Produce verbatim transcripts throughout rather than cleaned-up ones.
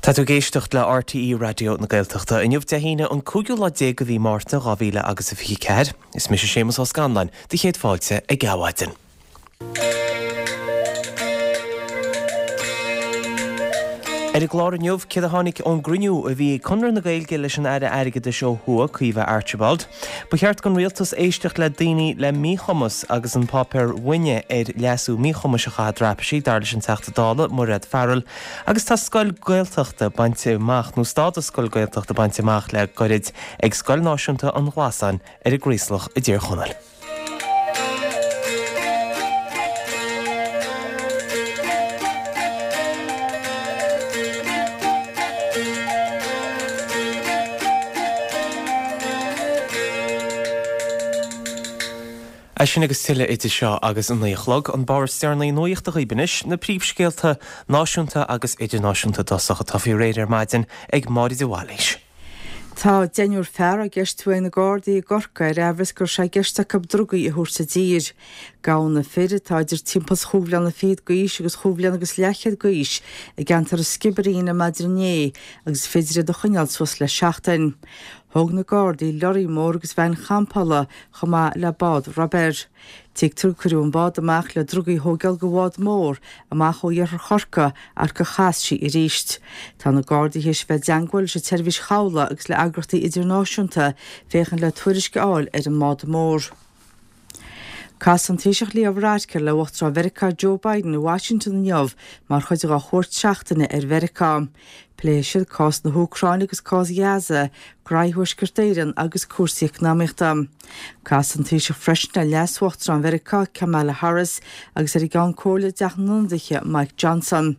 Tá tú ag éisteacht le RTÉ Raidió na Gaeltachta. Inniu Dé hAoine an cúigiú lá déag de mhí Márta dhá mhíle agus a fiche ceathair. Is mise Séamus Ó Scanláin, do chéad fáilte ag Adhmhaidin. Ar an gclár inniu, céard a tháinig ón gcruinniú a bhí ag Conradh na Gaeilge leis an Aire Airgeadais ó thuaidh, Caoimhe Archibald. Ba cheart don rialtas éisteacht le daoine le míchumas agus an páipéar uaine ar leasú míchumais a chaitheamh traipisí, dar leis an Teachta Dála, Mairéad Farrell. Agus tá scoil Gaeltachta bainte amach, nó stádas scoil Gaeltachta bainte amach le gairid ag Scoil Náisiúnta an Ghlasáin ar an gCraoslach i dTír Chonaill. É sin agus tuilleadh idir seo agus a naoi a chlog, an barr is deireanaí nuachta dhaoibh anois, na príomhscéalta náisiúnta agus idirnáisiúnta i dtosach atá faoi réir ar maidin ag Máire de Bhailís. Tá deichniúr fear á gceistiú ag na Gardaí i gCorcaigh ar amhras go raibh sé i gceist acu drugaí a thabhairt i dtír. Gabhadh na fir, atá idir timpeall is chúig bhliana fichead d'aois agus chúig bhliana agus leathchéad d'aois, i gceantar an Sciobairín ar maidin inné agus is féidir iad a choinneáil suas le seachtain. Thóg na Gardaí lorraí mór agus veain champála chomh maith le bád ruibéir. Tuigtear gur cuireadh an bád amach le drugaí a thógáil go bhád mór amach ó iarthar Chorcaí ach gur chas sí arís. Tá na Gardaí théis bheith i dteangmháil leis an tseirbhís chabhlaigh agus le eagraíochtaí idirnáisiúnta féachaint le tuairisc a fháil ar an mbád mór. Casfaidh an Taoiseach Leo Varadkar le Uachtarán Mheiriceá Joe Biden i Washington inniu mar chuid dá chuairt seachtaine ar Mheiriceá. Pléifidh siad cás na hÚcráine agus cás Ghaza, graí Thuaisceart Éireann agus cúrsaí eacnamaíochta. Casfaidh an Taoiseach freisin le Leas-Uachtarán Mheiriceá Kamala Harris agus ar an gCeann Comhairle i dTeach na nIonadaithe Mike Johnson.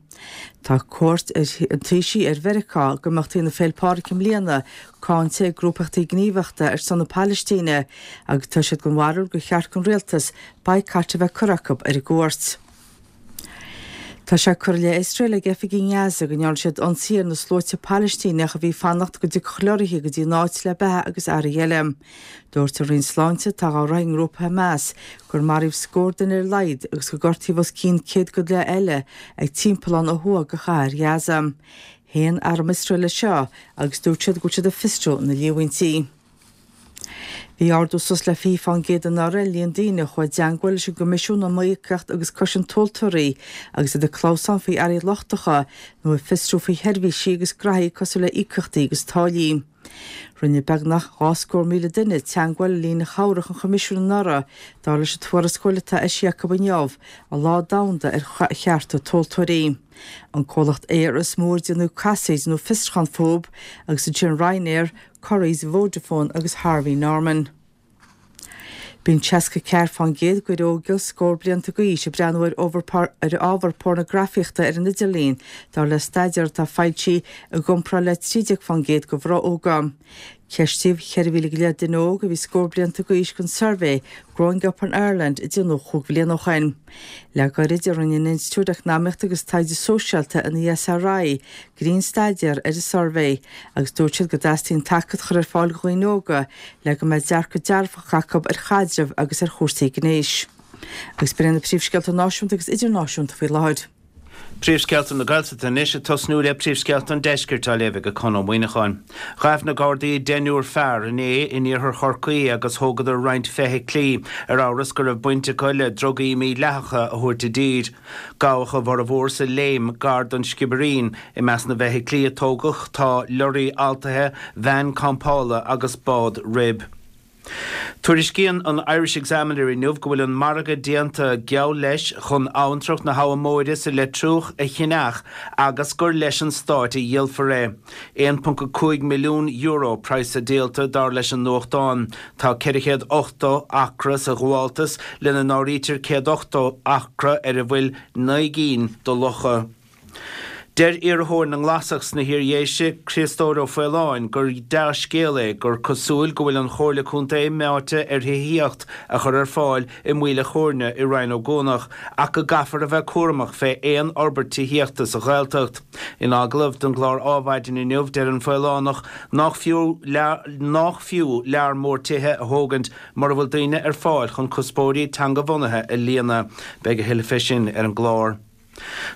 Tá cuairt an Taoisigh ar Mheiriceá ag imeachtaí na Féile Pádraig i mbliana cáinte ag grúpaíochtaí gníomhaíochta ar son na Palaistíne agus tá siad den bharúil gur cheart don rialtas baghcat a bheith curtha acu ar an gcuairt. Tá sé curtha i leith Iosrael ag oifigigh i nGaza go ndearna siad ionsaí ar na sluaite Palaistíneach a bhí ag fanacht go dtiocfadh leoraithe go dtí an áit le beatha agus earraí eile. Dúirt an Roinn Sláinte, atá á rith i ngrúpa Hamas, gur maraíodh scór duine ar a laghad agus gur gortaíodh os cionn céad go leith eile ag timpeallán ó thuaidh de chathair Ghaza. Shéan arm Iosrael é seo agus dúirt siad go bhfuil siad ag fiosrú na líomhaintí. Bhí ardú suas le fiche fán gcéad anuraidh ar líon daoine a chuaigh i dteangmháil leis an gCoimisiún um Iomaíocht agus Cosaint Tomhaltóirí agus iad ag clamhsán faoi earraí lochtacha nó ag fiosrú faoi sheirbhísí agus graithí cosúil le íocaíochtaí agus táillí. Rinne beagnach dhá scór míle duine teangmháil le líne chabhrach an Choimisiúin anuraidh, dar leis an tuarascáil atá eisithe acu inniu, an Lá Domhanda ar Chearta Tomhaltóirí. An comhlacht aeir is mó ar déanadh casaoid nó fiosrúchán fúthu agus ansin Ryanair, Currys, Vodafone agus Harvey Norman. Bíonn seasca ceathair fán gcéad d'fhir óga scór blianta d'aois ag breathnú ar ar ábhar pornagrafaíochta ar an idirlíon, dar le staidéar atá foilsithe, i gcomparáid le trí déag fán gcéad de mhná óga. Ceistíodh ceithre mhíle go leith duine óg a bhí scór blianta d'aois don suirbhé Growing Up in Ireland a déanadh chúig bhliain ó shin. Le gairid a rinne an Institiúid Eacnamaíochta agus Taighde Sóisialta, an ESRI, grinnstaidéar ar an suirbhé agus dúirt siad go dteastaíonn tacaíocht a chur ar fáil do dhaoine óga le go mbeidh dearcadh dearfach acu ar chaidreamh agus ar chúrsaí gnéis. Agus b'in iad na príomhscéalta náisiúnta agus idirnáisiúnta faoi láthair. Príomhscéalta na Gaeltachta anois, ag tosnú le príomhscéalta an Deiscirt á léamh ag Conn Ó Muíneacháin. Ghabh na Gardaí deichniúr fear inné in iarthar Chorcaí agus thógadar roinnt feithiclí ar amhras go raibh baint acu le drugaí mídhleathacha a thabhairt i dtír. Gabhadh a bhformhór sa Léim gar don Sciobairín. I measc na bhfeithiclí a tógadh tá lorraí altaithe, veain campála agus bád rib. Tuairiscíonn an Irish Examiner inniu go bhfuil an margadh déanta, geall leis, chun abhantrach na hAbha Móire sa Leitriúch a cheannach agus gur leis an Stát a dhíolfar é. aon ponc a cúig milliún euro praghas a díolta, dar leis an nuachtán. Tá ceithre chéad ochtó acra sa ghabháltas, lena n-áirítear céad ochtó acra ar a bhfuil naoi gcinn de locha. Deir iarrthóir na nGlasach sna hIardhéise, Críostóir Ó Faoláin, gur dea-scéal é gur cosúil go bhfuil an Chomhairle Contae meáite ar thithíocht a chur ar fáil i Maoil a' Chóirne i Rinn Ó gCuanach ach go gcaithfear a bheith cúramach fé aon fhorbairt tithíochta sa Ghaeltacht. In agallamh don gclár Ádhmhaidin inniu deir an Faolánach nách fiú nách fiú lear mór tithe a thógaint mura bhfuil daoine ar fáil chun cuspóirí teangabhunaithe a líonadh. Beidh a thuilleadh fé sin ar an gclár.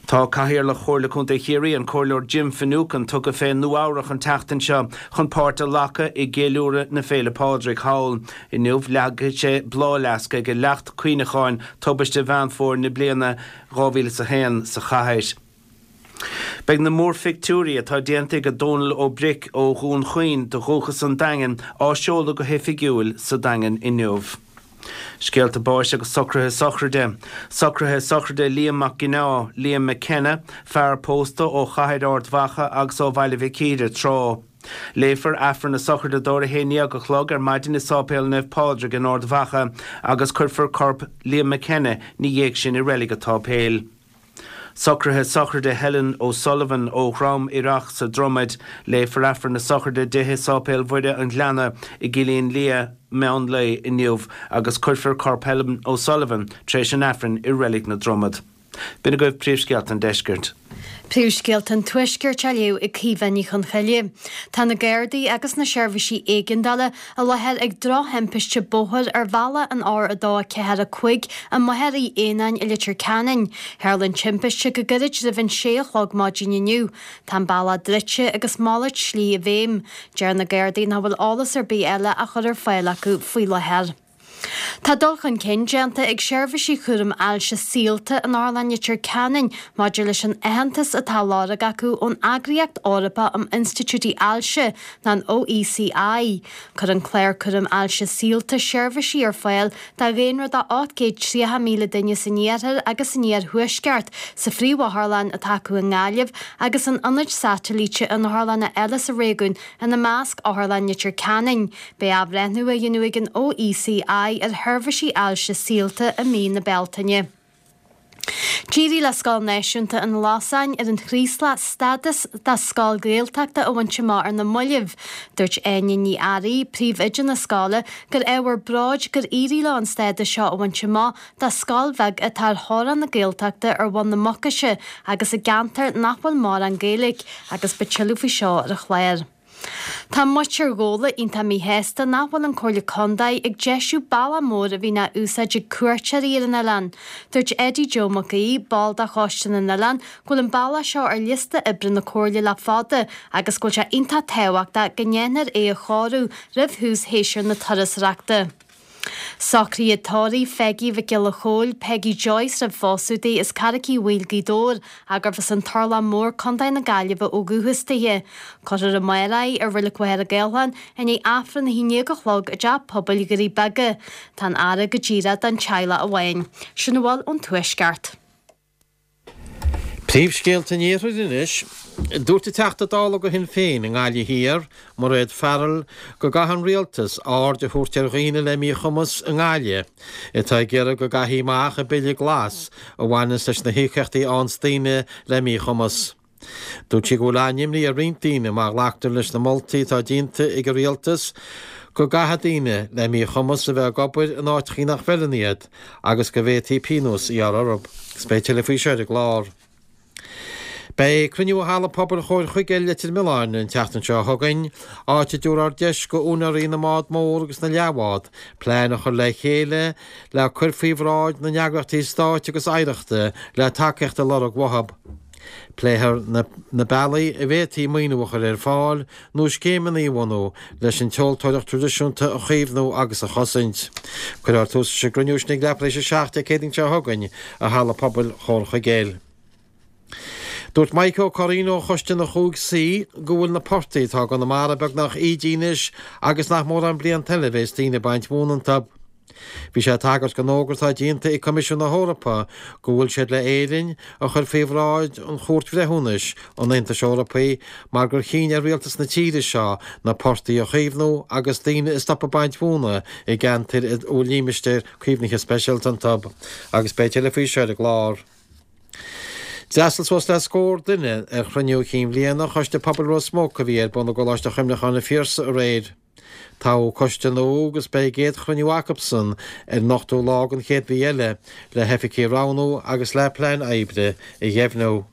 Tá Cathaoirleach Chomhairle Contae Chiarraí an Comhairleoir Jim Finucane tugtha fé Nua-Eabhrac an tseachtain seo chun páirt a ghlacadh i gceiliúradh na Féile Pádraig thall. Inniu leagfaidh sé bláthfhleasc ag leacht cuimhneacháin tubaiste Mheán Fómhair na bliana dhá mhíle is a haon sa chathair. Beidh na múrphictiúirí atá déanta ag Dónal Ó Bric ó Dhún Chaoin de dhúchas an Daingin á seoladh go hoifigiúil sa Daingean inniu. Scéalta báis agus socruithe sochraide. Socruithe sochraide Liam Mac Ginneá, Liam McKenna, fear pósta ó Chathair Ard Mhacha agus ó Bhaile Mhic Íre tráth. Léifear Aifreann na sochraide dó ar a haon déag a chlog ar maidin i Sáipéal Naomh Pádraig in Ard Mhacha agus cuirfear corp Liam McKenna ina dhiaidh sin i Reilig an tSáipéil. Socruithe sochraide Helen O'Sullivan ó Dhrom Ireach sa Dromaid, léifear Aifreann na sochraide di i Sáipéal Mhuire an Ghleanna i gCillín Liath meán lae inniu agus cuirfear corp Helen O'Sullivan tar éis an Aifrinn i Reilig na Dromad. B'in agaibh príomhscéalta an deiscirt. Príomhscéalta an Tuaiscirt á léamh ag Caoimhe Ní Chonchoille. Tá na Gardaí agus na seirbhísí éigeandála i láthair ag drochthimpiste bóthair ar bhealach an R a dó a ceathair a cúig i Machaire Uí Éanáin i Leitir Ceanainn. Tharla an timpiste go gairid roimh an sé a chlog maidin inniu. Tá an bealach druidte agus malairt slí i bhfeidhm. Deir na Gardaí nach bhfuil eolas ar bith eile á chur ar fáil acu faoi láthair. Tá dul chun cinn déanta ag seirbhísí chúram ailse saolta in Otharlann Leitir Ceanainn maidir leis an aitheantas atá á lorg acu ón Eagraíocht Eorpach um Institiúidí Ailse, nó an O E C I. Cuireann clár cúram ailse saolta seirbhísí ar fáil do dhaonra de ocht gcéad tríocha míle duine san iarthar agus san iarthuaisceart, sa phríomhotharlann atá acu i nGaillimh agus in ionaid satailíte in otharlanna eile sa réigiún, ina measc Otharlann Leitir Ceanainn. Beidh athbhreithniú á dhéanamh ag an O E C I ar sheirbhísí ailse saolta i mí na Bealtaine. D'éirigh le Scoil Náisiúnta an Losáin ar an Chraoslach stádas de scoil Ghaeltachta a bhaint amach ar na mallaibh. Dúirt Áine Ní Fhearraigh, príomhoide na scoile, gur ábhar bróid gur éirigh leo an stádas seo a bhaint amach do scoil bheag atá ar theorainn na Gaeltachta ar Bhun na Mucaise agus i gceantar nach bhfuil mórán Gaeilge agus beidh tuilleadh faoi seo ar an chlár. Tá muintir Ghabhla iontach míshásta nach bhfuil an Comhairle Contae ag deisiú bealach mór a bhíonn á úsáid ag cuairteoirí ar an oileán. Dúirt Eddie Joe Mac Aoidh, ball de Choiste na nOileán, go bhfuil an bealach seo ar liosta oibre na Comhairle le fada agus go bhfuil sé iontach tábhachtach go ndéanfar é a chóiriú roimh thús shéasúr na turasóireachta. Socruithe tórraimh Pheigí Mhic Giolla Chóill, Peggy Joyce roimh phósadh di, as Carraic Uí Bhaoill Gaoth Dobhair, gurbh as an Turlach Mór, Contae na Gaillimhe ó dhúchas di. Cuirfear amárach í i Reilig Mhachaire Gathlán i ndiaidh Aifreann a haon déag a chlog i dteach pobail Dhoirí Beaga. Tá an fhaire go díreach don teaghlach amháin. Sin a bhfuil ón Tuaisceart. Príomhscéalta an Iarthair anois. Dúirt an Teachta Dála do Shinn Féin i nGaillimh Thiar, Mairéad Farrell, go gcaithfidh an rialtas aird a thabhairt ar dhaoine le míchumas i nGaillimh, atá ag iarraidh go gcaithfí amach an Bille Glas a bhaineanns leis na híocaíochtaí a fhaigheanns daoine le míchumas. Dúirt sí go bhfuil an-imní ar roinnt daoine má ghlactar leis na moltaí atá déanta ag an rialtas go gcaithfidh daoine le míchumas a bheith ag obair in áiteachaí nach bhfeileann iad agus go bhféadfaí pionós a ghearradh orthu. Is beidh tuilleadh faoi seo ar an gclár. Beidh cruinniú i Halla Pobail Chomhair Chuigéil Leitir Mealláin an tseachtain seo chugainn, áit a dtabharfar deis go úinéirí na mbád mór agus na leathbhád plean a chur le chéile le cur faoi bhráid na n-eagraíochtaí stáit agus oidhreachta le tacaíocht a lorg uathu. Pléifear na, na bealaí a bhféadfaí maoiniú a chur ar fáil nó scéimeanna a bhunú leis an tseoltóireacht traidisiúnta a chaomhnú agus a chosaint. Cuirfear tús leis an gcruinniú sin ag leathuair tar éis a seacht Dé Céadaoin seo chugainn i Halla Pobail Chomhair Chuigéil. Dúirt Mike Ó Curraoin ó Choiste na Chúig Suí go bhfuil na portaigh atá i gConamara beagnach ídithe anois agus nach mórán blianta eile a bheas daoine ag baint mhóna iontu. Bhí sé ag tagairt don fhógra atá déanta ag Coimisiún na hEorpa go bhfuil siad le Éirinn a chur faoi bhráid an Chúirt Bhreithiúnais an Aontais Eorpaigh mar gur chinn ar rialtas na tíre seo na portaigh a chaomhnú agus daoine a stop ag baint mhóna i gceantair a bhfuil limistéir caomhnaithe speisialta iontu. Agus beidh tuilleadh faoi seo ar an gclár. D'fhreastail suas le scór duine ar chruinniú cinn bhliana Choiste Pobail Ros Muc a bhí ar bun i gColáiste Chuimhneacháin an Phiarsaigh aréir. Toghadh coiste nua agus beidh a gcéad chruinniú acusan ar an ochtú lá den chéad mhí eile le hoifigigh a roghnú agus le plean oibre a dheimhniú.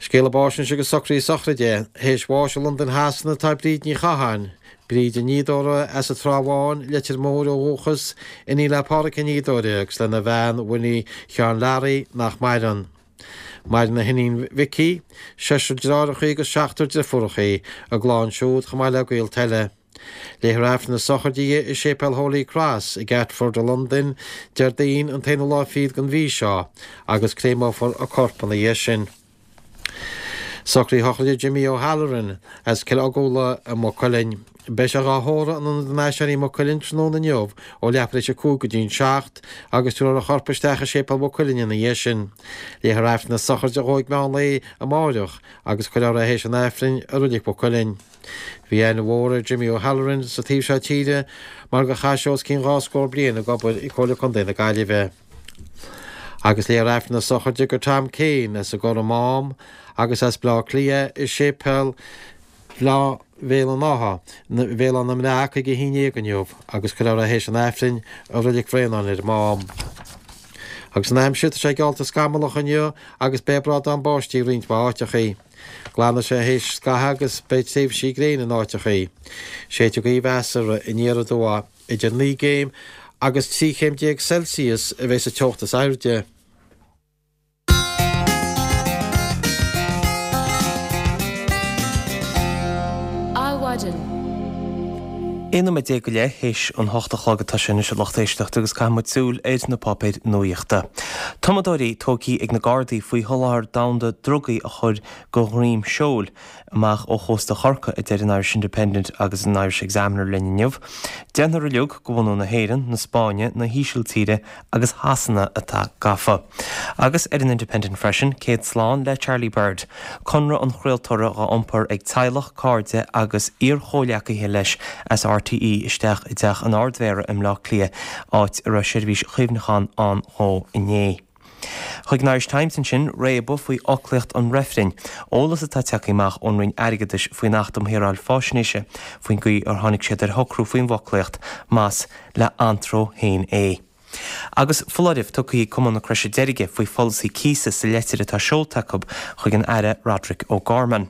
Scéala báis anois agus socruithe sochraide, théis bháis i Londain Shasana atá Bríd Ní Chatháin, Bríd an Fhíodóra as an Trá Bháin, Leitir Móir ó dhúchas, iníon le Pádhraic an Fhíodóra agus lena bhean Winnie Sheáin Learaí nach maireann. Maireann a hiníon Vicky, seisear deartháireacha agus seachtar deirfiúracha, a gclann siúd chomh maith le gaolta eile. Léifear Aifreann na sochraide di i Séipéal Holy Cross i gCatford i Londain Déardaoin an t-aonú lá fichead den mhí seo agus créamófar a corp ina dhiaidh sin. Socruithe sochraide Jimmy O'Halloran as Cill Ogúla i Maigh Cuilinn. Beidh sé dhá thórramh in Ionad an Aiséirí i Maigh Cuilinn tráthnóna inniu ó leathuair tar éis a cúig go dtí'n seacht agus tabharfar a chorp isteach i Séipéal Mhaigh Cuilinn ina dhiaidh sin. Léifear Aifreann na sochraide a dhó ag meán lae amáireach agus cuirfear é théis an Aifrinn i Reilig Mhaigh Cuilinn. Bhí aithne mhór ar Jimmy O'Halloran sa taobh seo tíre mar gur chaith sé os cionn dhá scór bliain ag obair i Comhairle Contae na Gaillimhe. Agus léifear Aifreann na sochraide do Tom Kane as an gCorr Mám agus as Bleá Cliath i Séipéal Bhaile Bhéal an Átha, Bhéal Átha na mBreac ag a haon déag inniu agus cuirfear é théis an Aifrinn i Reilig Bhréanainn ar an Mám. Agus an aimsir, tá sé geallta scamallach inniu agus beidh brádán báistí i roinnt mhaith áiteachaí. Glanfaidh sé théis scathaimh agus beidh tréimhsí gréine in áiteachaí. Séidfidh gaoth mheasartha aniar aduaidh. Idir naoi gcéim agus trí chéim déag Celsius a bheidh sa teocht is airde. Adhmhaidin. Aon nóiméad déag go leith théis an hocht a chlog atá sé anois a lucht éisteachta agus caithfidh muid súil ar na páipéir nuaíochta. Tumadóirí tógtha ag na Gardaí faoi sholáthar domhanda drugaí a chur de dhroim seoil amach ó chósta Chorcaí, a deir an Irish Independent agus an Irish Examiner linn inniu. Deichniúr uilig de bhunadh na hÉireann, na Spáinne, na hÍsiltíre agus Shasana atá gafa. Agus ar an Independent freisin, céad slán le Charlie Bird, conradh an chraoltóra dhá iompar ag teaghlach, cairde agus iar-chomhleacaithe leis as RTÉ isteach i dteach an Ardmhéara i mBleá Cliath, áit a raibh seirbhís chuimhneacháin ann dhó inné. Chuig an Irish Times ansin, réabadh faoi fhoclaíocht an reifrinn, eolas atá tagtha amach ón Roinn Airgeadais faoin Acht um Shaoráil Faisnéise, faoin gcaoi ar tháinig siad ar shocrú faoin bhfoclaíocht, más le antró féin é. Agus foláireamh tugtha ag Cumann na Croise Deirge faoi pholasaí cíosa sa leitir atá seolta acu chuig an Aire Roderic O'Gorman.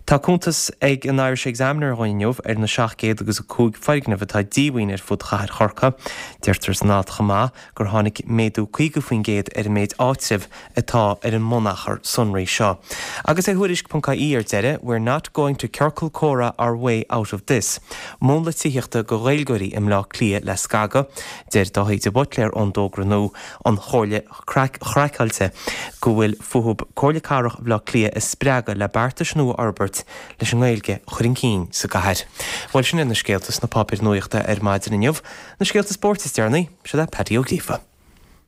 Tá cuntas ag an Irish Examiner dhúinn inniu ar na seacht gcéad agus a cúig foirgneamh atá díomhaoin ar fud chathair Chorcaí. Deirtear san alt chomh maith gur tháinig méadú caoga faoin gcéad ar an méid áitreabh atá ar an mbunachar sonraí seo. Agus ar Thuairisc ponc ie ar deireadh, We're not going to ciorcal comhrá our way out of this. Múnla tithíochta do Ghaeilgeoirí i mBleá Cliath le scagadh. Deir Dáithí de Buitléar ón dtogra nua An Chomhairle Chraiceáilte go bhfuil fúthu Comhairle Cathrach Bhaile Átha Cliath a spreagadh le beartais nua a fhorbairt leis an nGaeilge a chur chun cinn sa gcathair. Bhuel, sin iad na scéalta sna páipéir nuachta ar maidin inniu. Na scéalta spóirt is deireanaí, seo é Paddy Ó Gríofa.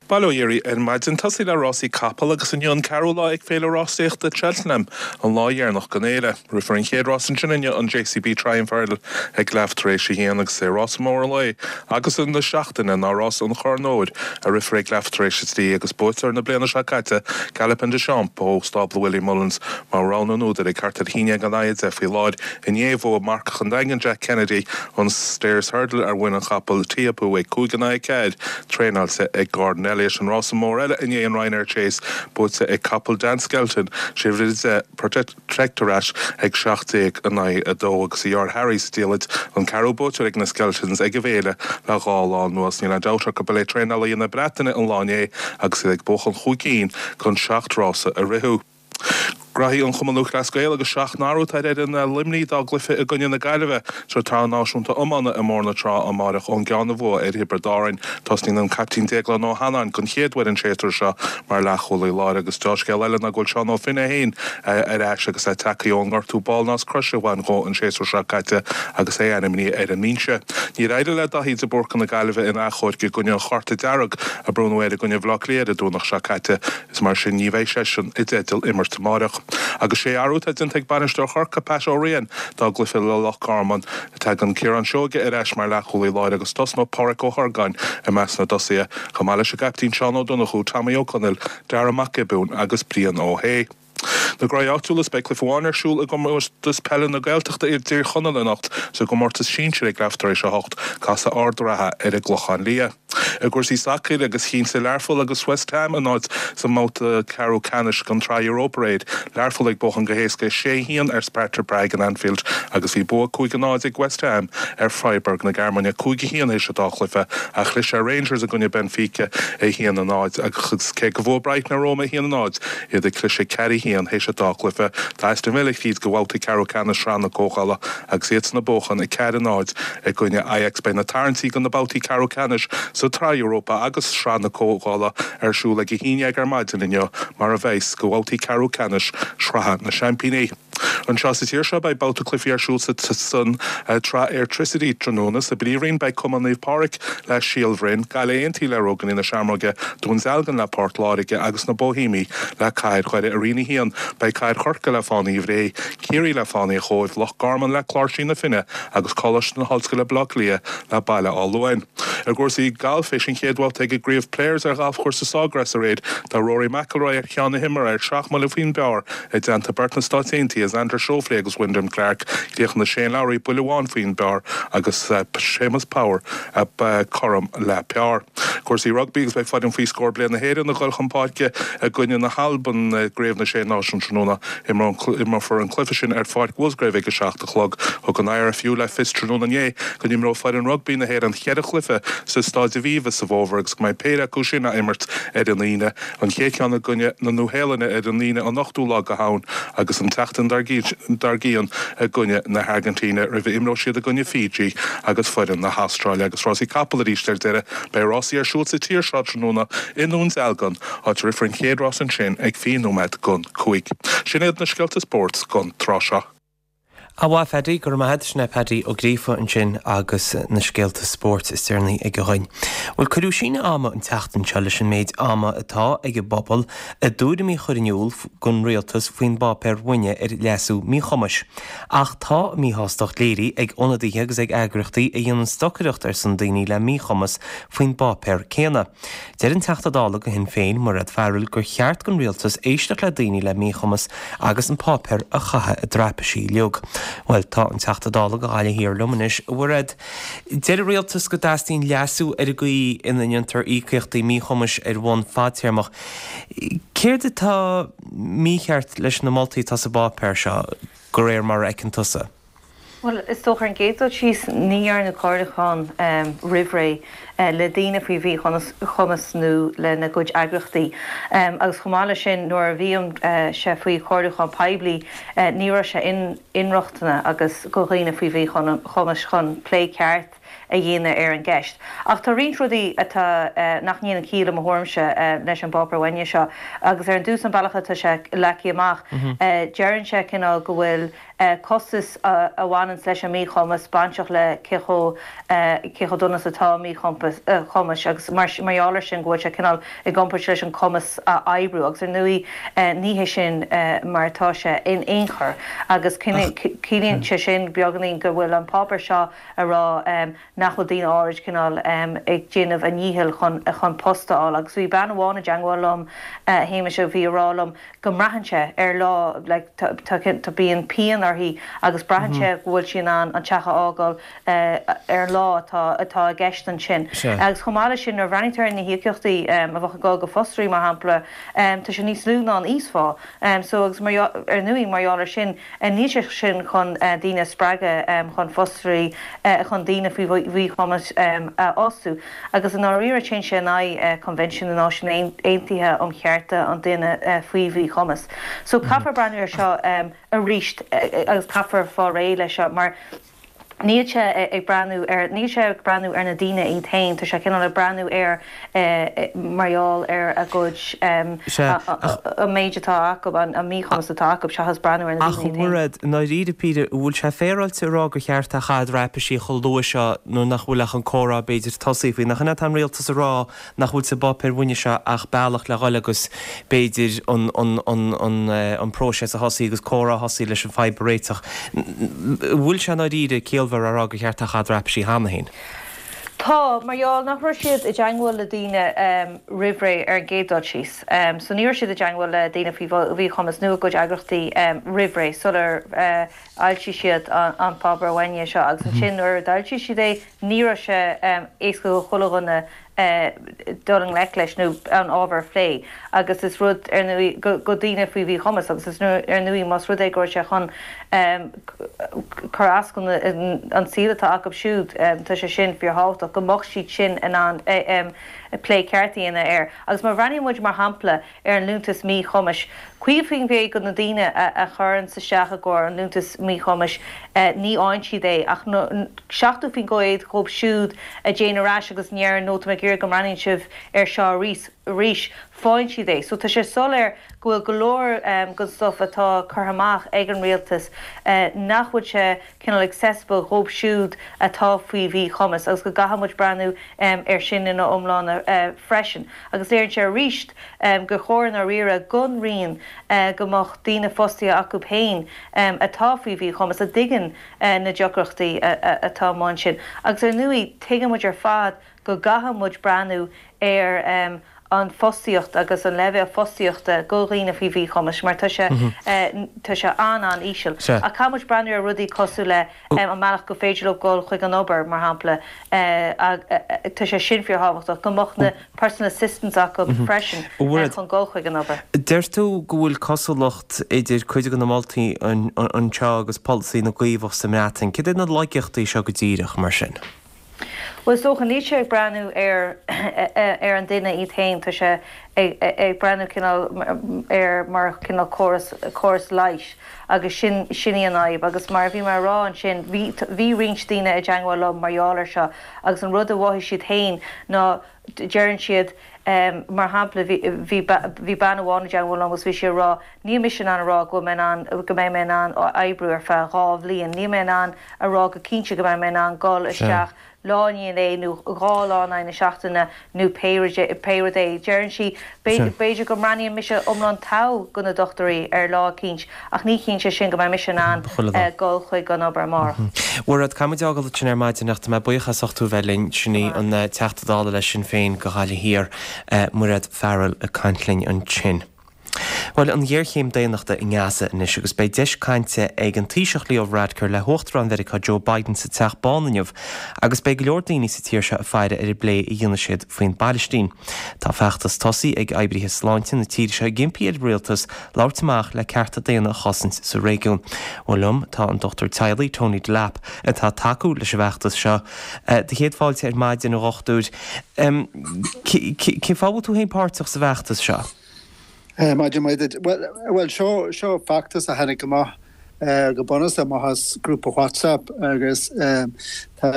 Bail ó Dhia oraibh ar maidin. Tosaí le rásaí capall agus inniu an ceathrú lá ag Féile Rásaíochta Cheltenham, an lá dheireanach den fhéile. Rithfear an chéad rás ansin inniu, an JCB Triumph Hurdle ag leath tar éis a haon agus is é rása mór an lae agus na seachtaine ná rás an Chorn Óir a rithfear ag leath tar éis a trí agus buaiteoir na bliana seo caite, Galopin Des Champs ó stábla Willie Mullins mar rogha na n-údar ag thart ar a haon déag in aghaidh a deich faoi láthair. Inné bhuaigh marcach an Daingin Jack Kennedy an Stayers Hurdle ar mhuin an chapaill Teahupoo ag cúig in aghaidh a ceathair, traenáilte ag Gordon Elliott. An rása mór eile inné an Ryanair Chase buaite ag capall Dan Skelton, sé bhruide Protektorat ag seacht déag in aghaidh a dó agus a dheartháir Harry sa diallait an ceathrú buaiteoir ag na Skeltons ag an bhféile le dhá lá anuas. Níl aon dabht ach gurb é traenálaithe na Breataine an lá inné agus iad ag buachan chúig cinn den seacht rása a ritheadh. Graithí an Chumann Lúthchleas Gael agus seacht n-athrú atá ar fhoireann Luimnigh dá gcluiche i gcoinne na Gaillimhe sa tSraith Náisiúnta Iomána i mBóthar na Trá amáireach ón gceann a bhuadh ar Thiobraid Árann. Tosnaíonn an caiptín Déaglán Ó hAnnáin den chéad uair an séasúr seo mar leathchúlaí láir agus deá-scéal eile ná go bhfuil Seán Ó Finn é féin ar ais agus é tagtha ón ngortú ball croise a bhain dhó an séasúr seo caite agus é ainmnithe ar an mbinse. Níor éirigh le Daithí de Búrca na Gaillimhe in achomharc i gcoinne an chárta dearg a bronnadh air i gcoinne Bhaile Átha Cliath ar an Domhnach seo caite. Is mar sin ní bheidh seisean i dteideal imirt amáireach. Agus sé athrú atá déanta ag bainisteoir Chorcaí, Pat Ó Riain, dá gcluiche le Loch Garman. Tagann Ciarán Seoige ar ais mar leathchúlaí láir agus tosnóidh Páraic Ó hOrgáin i measc na dtosaithe, chomh maith leis an gcaiptín Seán Ó Donnchú, Tommy Ó Conaill, Dara Mac Giobúin agus Brian Ó hAodha. Na gnóthaí áitiúla is beidh cluiche amháin ar siúl i gcomórtas peile na Gaeltachta i dTír Chonaill anocht sa gcomórtas sinsir ag leath tar éis a hocht, casfaidh Ard an Rátha ar an gClochán Liath. I gcúrsaí sacair agus chinntigh Learpholl agus West Ham a n-áit sa mbabhta ceathrú ceannais den tSraith Europa aréir. Learpholl ag buachan go héasca sé a haon ar Sparta Prague in Anfield agus bhí bua cúig a náid ag West Ham ar Freiburg na Gearmáine cúig a haon théis an dá chluiche ach chlis ar Rangers i gcoinne Benfica a haon a náid agus cé go bhfuair Brighton ar Roma a haon a náid iad ag cliseadh ceathair a haon théis an dá chluiche. Tá Aston Villa tríd go babhta ceathrú ceannais Shraith na Comhdhála agus iadsan ag buachan a ceathair a náid i gcoinne Ajax. Beidh na tarraingtí do na babhtaí ceathrú ceannais sa tSraith Europa agus Sraith na Comhdhála ar siúl ag a haon déag ar maidin inniu mar a bheas do bhabhtaí ceathrú ceannais Shraith na Seaimpíní. Anseo sa tír seo beidh babhta cluichí ar siúl sa san tsraith Airtricity tráthnóna sa bPríomhroinn beidh Cumann Naomh Pádraig le Síol Bhroin, Gaillimh Aontaithe le Róganaí na Seamróige, Dún Dealgan le Port Láirge agus na Boihéamaigh le Cathair Dhoire i Roinn a haon. Beidh Cathair Chorcaí le Fánaí Bhré, Ciarraí le Fánaí an Chóibh, Loch Garman le Cláirsigh na Finne agus Coláiste na hOllscoile Baile Átha Cliath le Baile Átha Luain. I gcúrsaí gailf théis an chéad bhabhta ag an gCraobh Players ar ghalfchúrsa Sawgrass aréir tá Rory McIlroy ar cheann na himeartha ar seacht mbuille faoin bpar i dteannta beirt na Stáit Aontaithe Xander Schauffele agus Wyndham Clark Críochnaigh Shane Lowry buille amháin faoin bpar agus Séamus Power cothrom le par. Cúrsaí rugbaí agus beidh foireann faoi scór bliana na hÉireann ag dul chun páirce i gcoinne na hAlban i gCraobh na Sé Náisiún tráthnóna imreofar an cluiche sin ar Pháirc Musgrave ag a seacht a chlog. Thug an IRFU le fios tráthnóna inné go n-imreoidh foireann rugbaí na hÉireann ceithre chluiche sa Staid Aviva sa bhfómhar agus go mbeidh péire acu sin á imirt ar an Aoine an chéad cheann i gcoinne na Nua-Shéalainne ar an Aoine an ochtú lá de Shamhain agus an tseachtain dár gcionn i gcoinne na hAirgintíne roimh a imreoidh siad i gcoinne Fiji agus foireann na hAstráile agus rásaí capall arís ar deireadh beidh rásaí ar siúl sa tír seo tráthnóna i nDún Dealgan áit a rithfear an chéad rás ansin ag fiche nóiméad don cúig. Sin iad na scéalta spóirt don tráth seo. A mhaith Paddy go raibh sin é Paddy Ó Gríofa ansin agus na scéalta spóirt is deireanaí aige dhúinn. Bhuel cuireadh síneadh ama an tseachtain seo leis an méid ama atá ag an bpobal a dtuairimí a chur in iúl don rialtas faoin bpáipéar bhainne ar leasú míchumais. Ach tá míshástacht léirithe ag ionadaithe agus ag eagraíochtaí a dhéanann stocaireacht ar son daoine le míchumas faoin bpáipéar céanna. Deir an Teachta Dála do Shinn Féin Mairéad Farrell gur cheart don rialtas éisteacht le daoine le míchumas agus an páipéar a chaitheamh i dtraipisí uilig. Well tá an Teachta Dála do Ghaillimh Thiar liom anois a Mhairéad. Deir an rialtas go dteastaíonn leasú ar an gcaoi ina ndéantar íocaíochtaí míchumais ar bhonn fadtéarmach. Céard atá mícheart leis na moltaí atá sa bpáipéar seo de réir mar a fheiceann tusa? Well is dócha ar an gcéad dul síos ní dhearnadh comhairliúchán um, roimh ré uh, le daoine faoi mhíchumas nó lena gcuid eagraíochtaí. Um, agus chomh maith leis sin nuair a bhí an uh, sé faoi chomhairliúchán poiblí uh, ní raibh sé in inrochtana agus do dhaoine faoi mhíchumas chun plé ceart a dhéanamh ar an gceist. Ach tá roinnt rudaí atá uh, nach ndéanann ciall i mo thuairimse uh, leis an bpáipéar bhainne seo, agus ar an dtús an bealach atá sé leagtha amach mm -hmm. uh, deireann sé cineál go bhfuil uh, costas uh, a bhaineann leis an míchumas bainteach le cé chomh uh, cé chomh dona atá míchumas uh, agus mar mar sin go bhfuil sé cineál i gcomparáid leis an cumas a oibriú agus ar ndóigh uh, ní hé sin uh, mar atá sé in aon chor agus ciallaíonn sé sin beagáinín go bhfuil an páipéar seo a rá um, nach bhfuil daoine áirid cineál um, ag déanamh a ndícheall chun chun post a fháil agus bhí bean amháin i dteagmháil liom uh, Shéamais a bhí ag rá liom go mbraitheann sé ar lá like, tá bíonn pian uirthi agus braitheann sé go bhfuil sí in ann an teach a fhágáil uh, ar lá atá atá i gceist ansin. Agus chomh maith sin ar bhreathnaítear na híocaíochtaí um, a bheadh ag dul go fostóirí mar shampla um, tá sé níos lú ná an íosphá. Um, so agus mar ar ndóigh mar gheall air sin níl sé sin chun uh, daoine spreagadh um, chun fostóirí uh, chun daoine faoi mhíchumas um, a fhostú. Agus an áiríre téann sé in aghaidh uh, Convention na Náisiún Aontaithe um Chearta an Duine uh, faoi mhíchumas. So caithfear breathnú air seo um, arís uh, agus caithfear fáil réidh leis seo mar Níl sé ag breathnú ar níl sé ag breathnú ar na daoine iad féin tá sé cineál ag breathnú ar mar gheall ar a gcuid an méid atá acu an míchumas atá acu seachas breathnú ar na daoine. Ach Mairéad dáiríre píre bhfuil sé féaráilte a rá gur cheart a chaitheamh i dtraipisí chomh luath seo nó nach bhfuil ach an comhrá b'fhéidir tosaithe faoi nach in an rialtas a rá nach bhfuil sa bpáipéar bhainne seo ach bealach le dhul agus b'fhéidir an an an an an próiseas a thosaí agus comhrá a thosaí leis an fadhb a réiteach. Bhfuil sé dáiríre ciallmhar a rá gur cheart a chaitheamh i dtraipisí cheana féin. Tá, mar gheall nach raibh siad i dteagmháil le daoine roimh ré ar an gcéad dul síos. So ní raibh siad i dteagmháil le daoine faoi mhíchumas nó a gcuid eagraíochtaí roimh ré sular fhoilsigh siad an páipéar uaine seo agus ansin nuair a d'fhoilsigh siad é ní raibh sé éasca do chuile dhuine dul i ngleic leis nó an ábhar a phlé agus is rud ar ndóigh go daoine faoi mhíchumas agus is ar ndóigh más rud é go raibh sé chun cur as don an saol atá acu siúd tá sé sin fíorthábhachtach go mbeadh siad sin in ann plé ceart a dhéanamh air. Agus má bhreathnaíonn muid mar shampla ar an Liúntas Míchumais, caoga faoin gcéad de na daoine a chuireanns isteach i gcomhair an Liúntas Míchumais ní fhaigheann siad é ach seachtó faoin gcéad dhóibh siúd a dtéann ar ais agus a ndeireann nó tá mé ag iarraidh go mbreathnaíonn sibh air seo arís, arís, faigheann siad é. So tá sé soiléir go bhfuil go leor den stuff atá curtha amach ag an rialtas nach bhfuil sé cineál accessible dhóibh siúd atá faoi mhíchumas agus go gcaithfidh muid breathnú air sin ina iomláine freisin. Agus léiríonn sé arís gur chóir i ndáiríre don Roinn go mbeadh daoine fostaithe acu féin atá faoi mhíchumas a dtuigeann na deacrachtaí atá amuigh ansin. Agus ar ndóigh tuigeann muid ar fad go gcaithfidh muid breathnú ar an fostaíocht agus an leibhéal fostaíochta do dhaoine faoi mhíchumas mar tá sé tá sé an-an-íseal. Ach caithfidh muid breathnú ar rudaí cosúil le an mbealach go féidir leo dul chuig an obair, mar shampla, tá sé sin fíorthábhachtach, go mbeadh na personal assistants acu freisin chun dul chuig an obair. Deir tú go bhfuil cosúlacht idir cuid de na moltaí anseo agus polasaí na gCaomhach sa mBreatain. Cad iad na laigeachtaí seo go díreach, mar sin? Bhuel, is dócha, níl sé ag breathnú ar ar an duine iad féin, tá sé ag ag breathnú cineál ar mar cineál córas córas leighis agus sin sin í an fhadhb. Agus mar a bhí mé a rá ansin, bhí bhí roinnt daoine i dteagmháil liom mar gheall air seo agus an rud a mhothaigh siad féin ná deireann siad mar shampla bhí bhí bhí bean amháin i dteagmháil liom agus bhí sí ag rá níl mise in ann a rá go bhfuil mé in ann go mbeidh mé in ann oibriú ar feadh dhá bhliain, níl mé in ann a rá go cinnte go mbeidh mé in ann dul isteach lá i ndiaidh lae nó dhá lá in aghaidh na seachtaine nó pé rud é. Deireann sí, b'fhéidir go mbreathnaíonn mise iomlán togha do na dochtúirí ar lá eicínt ach ní chiallaíonn sé sin go mbeidh mise in ann dul chuig an obair amárach. Mhairéad, caithfidh muid fhágáil ansin ar maidin ach tá mé buíoch as ucht tú a bheith linn. Sin í an Teachta Dála le Sinn Féin do Ghaillimh Thiar, Mairéad Farrell ag caint linn ansin. Bhuel, an ghéarchéim daonnachta i nGaza anois agus beidh deis cainte ag an Taoiseach Leo Varadkar le hUachtarán Mheiriceá Joe Biden sa Teach Bán inniu agus beidh go leor daoine sa tír seo ag faire ar an bplé a dhéanfaidh siad faoin bPailistín. Tá feachtas tosaithe ag oibrithe sláinte na tíre seo ag impí ar an rialtas labhairt amach le cearta daonna a chosaint sa réigiún. Bhuel liom tá an dochtúir teaghlaigh Tony Delap atá ag tacú leis an bhfeachtas seo. Do chéad fáilte ar maidin a dhochtúir. Cén fáth a bhfuil tú féin páirteach sa bhfeachtas seo? Maidin mhaith duit. Bhuel, seo seo feachtas a tháinig amach go bunúsach amach as grúpa WhatsApp agus tá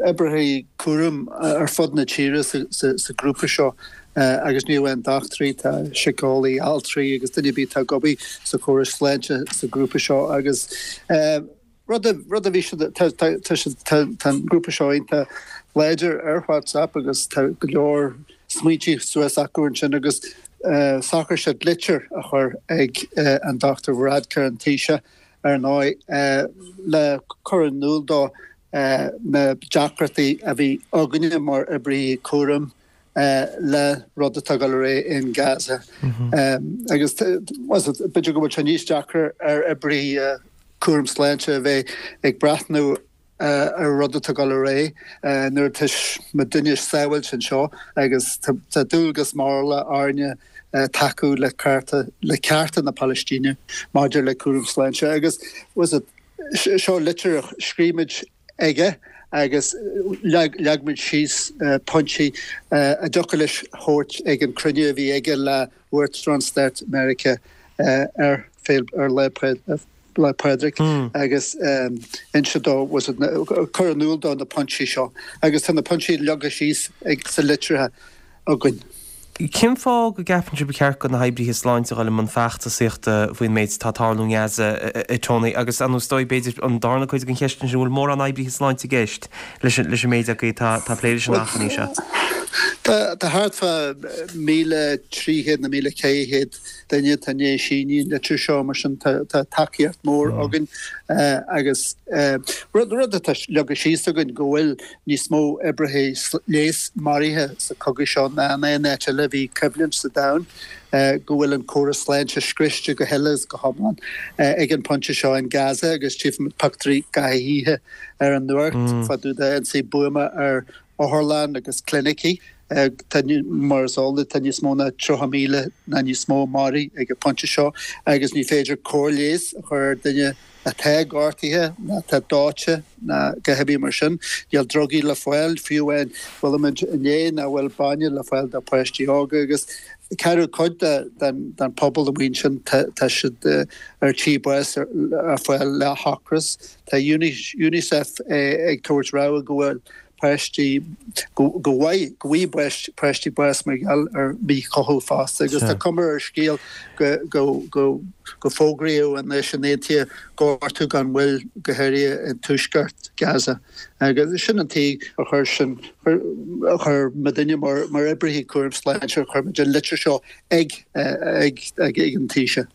oibrithe cúraim ar fud na tíre sa ghrúpa seo agus ní amháin dochtúirí, tá síceolaí, altraí agus duine ar bith atá ag obair sa chóras sláinte sa ghrúpa seo agus rud a rud a bhí siad tá tá tá tá an grúpa seo iontach láidir ar WhatsApp agus tá go leor smaointe suas acu ansin agus shocraigh siad litir a chur ag an Dochtúir Varadkar, an Taoiseach, ar ndóigh, le cur in iúl dó na deacrachtaí a bhí againne mar oibrithe cúraim le rud atá ag dul ar aghaidh in Gaza. Agus b'fhéidir go bhfuil sé níos deacra ar oibrithe cúram sláinte a bheith ag breathnú ar rud atá ag dul ar aghaidh nuair atá muidinne sábháilte anseo agus tá dualgas morálta orainne tacú le cearta le cearta na Palaistíne maidir le cúram sláinte agus was it seo litir a scríobh muid aige agus leag leag muid síos pointí a dtiocfadh leis thabhairt ag an cruinniú a bhí aige le Uachtarán Stáit Meiriceá ar ar Lá Lá Pádraig agus inse dó was it cur in iúl dó na pointí seo agus tá na pointí leagtha síos ag sa litrithe againn. Cén fáth go gceapann sibh ba cheart do na hoibrithe sláinte a dhul i mbun feachtasaíochta faoin méid atá ag tarlú i nGaza, a Tony, agus an is dóigh b'fhéidir an darna cuid den cheist ansin, an bhfuil mórán oibrithe sláinte i gceist leis an méid agaibh atá ag plé leis an achainí seo? Tá thart fá míle trí chéad nó míle ceithre chéad duine atá i ndiaidh síniú an litir seo, mar sin tá tacaíocht mhór againn agus rud rud atá leagtha síos againn go bhfuil níos mó oibrithe leighis maraithe sa chogadh seo ná in aon áit eile a bhí coimhlint sa domhan, go bhfuil an córas sláinte scriosta go huile is go hiomlán ag an bpointe seo in Gaza agus tchífimid pictiúirí gach oíche ar an nuacht fá dtaobh d'ionsaí buama ar otharlann agus clinicí. Tá, mar is eol duit, tá níos mó ná tríocha míle ná níos mó maraithe ag an bpointe seo agus ní féidir cóir leighis a chur ar duine atá gortaithe ná atá dóite ná a dhath ar bith mar sin. Níl drugaí le fáil, fiú amháin chuala muid inné nach bhfuil bainne le fáil do pháistí óga agus ceathrú cuid den pobal amuigh ansin tá siad ar tí bás a fháil le hocras. Tá Unicef ag tabhairt rabhadh go bhfuil páistí, go bhfaighidh páistí bás mar gheall ar mhíchothú fosta agus tá cuma ar an scéal go bhfógraíodh an Náisiún Aontaithe gortú gan mhoill go háirithe i dtuaisceart Gaza agus sin an tuige a chuir sin a chuir muidinne mar oibrithe cúraim sláinte a chuir muid an litir seo ag an Taoiseach.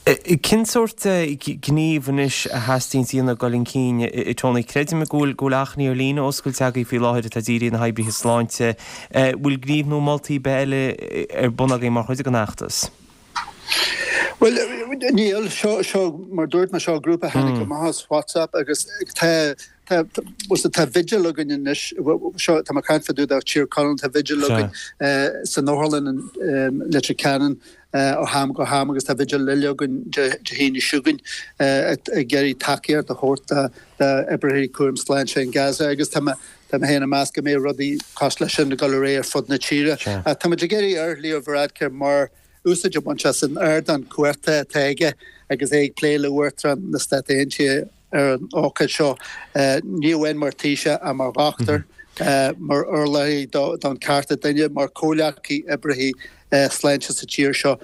Cén sórt gníomh anois a theastaíonn a dhéanamh ag dul chun cinn, a Tony? Creidim go bhfuil go bhfuil achainí ar líne oscailte agaibh faoi láthair atá dírithe ar na hoibrithe sláinte. Bhfuil gníomh nó moltaí ar bith eile ar bun agaibh mar chuid den fheachtas? Bhuel, níl. Seo, seo, mar dúirt mé, seo grúpa a tháinig amach as WhatsApp agus tá, tá, tá vigil againn anois, seo, tá mé ag caint fá dtaobh de Tír Chonaill, tá vigil againn san otharlann in Leitir Ceanainn ó ham go ham agus tá vigil eile againn Dé hAoine seo chugainn ag iarraidh tacaíocht a thabhairt d'oibrithe cúraim sláinte in Gaza agus tá mé tá mé féin ag meas go mbeidh rudaí cosúil leis sin ag dul ar aghaidh ar fud na tíre. Tá muid ag iarraidh ar Leo Varadkar mar úsáid a bhaint as an ardán cumhachta atá aige agus é ag plé le Uachtarán na Stát Aontaithe ar an ócáid seo, ní amháin mar Thaoiseach ach mar dhochtúir, mar urlabhraí don cearta duine, mar chomhghleacaí oibrithe sláinte sa tír seo.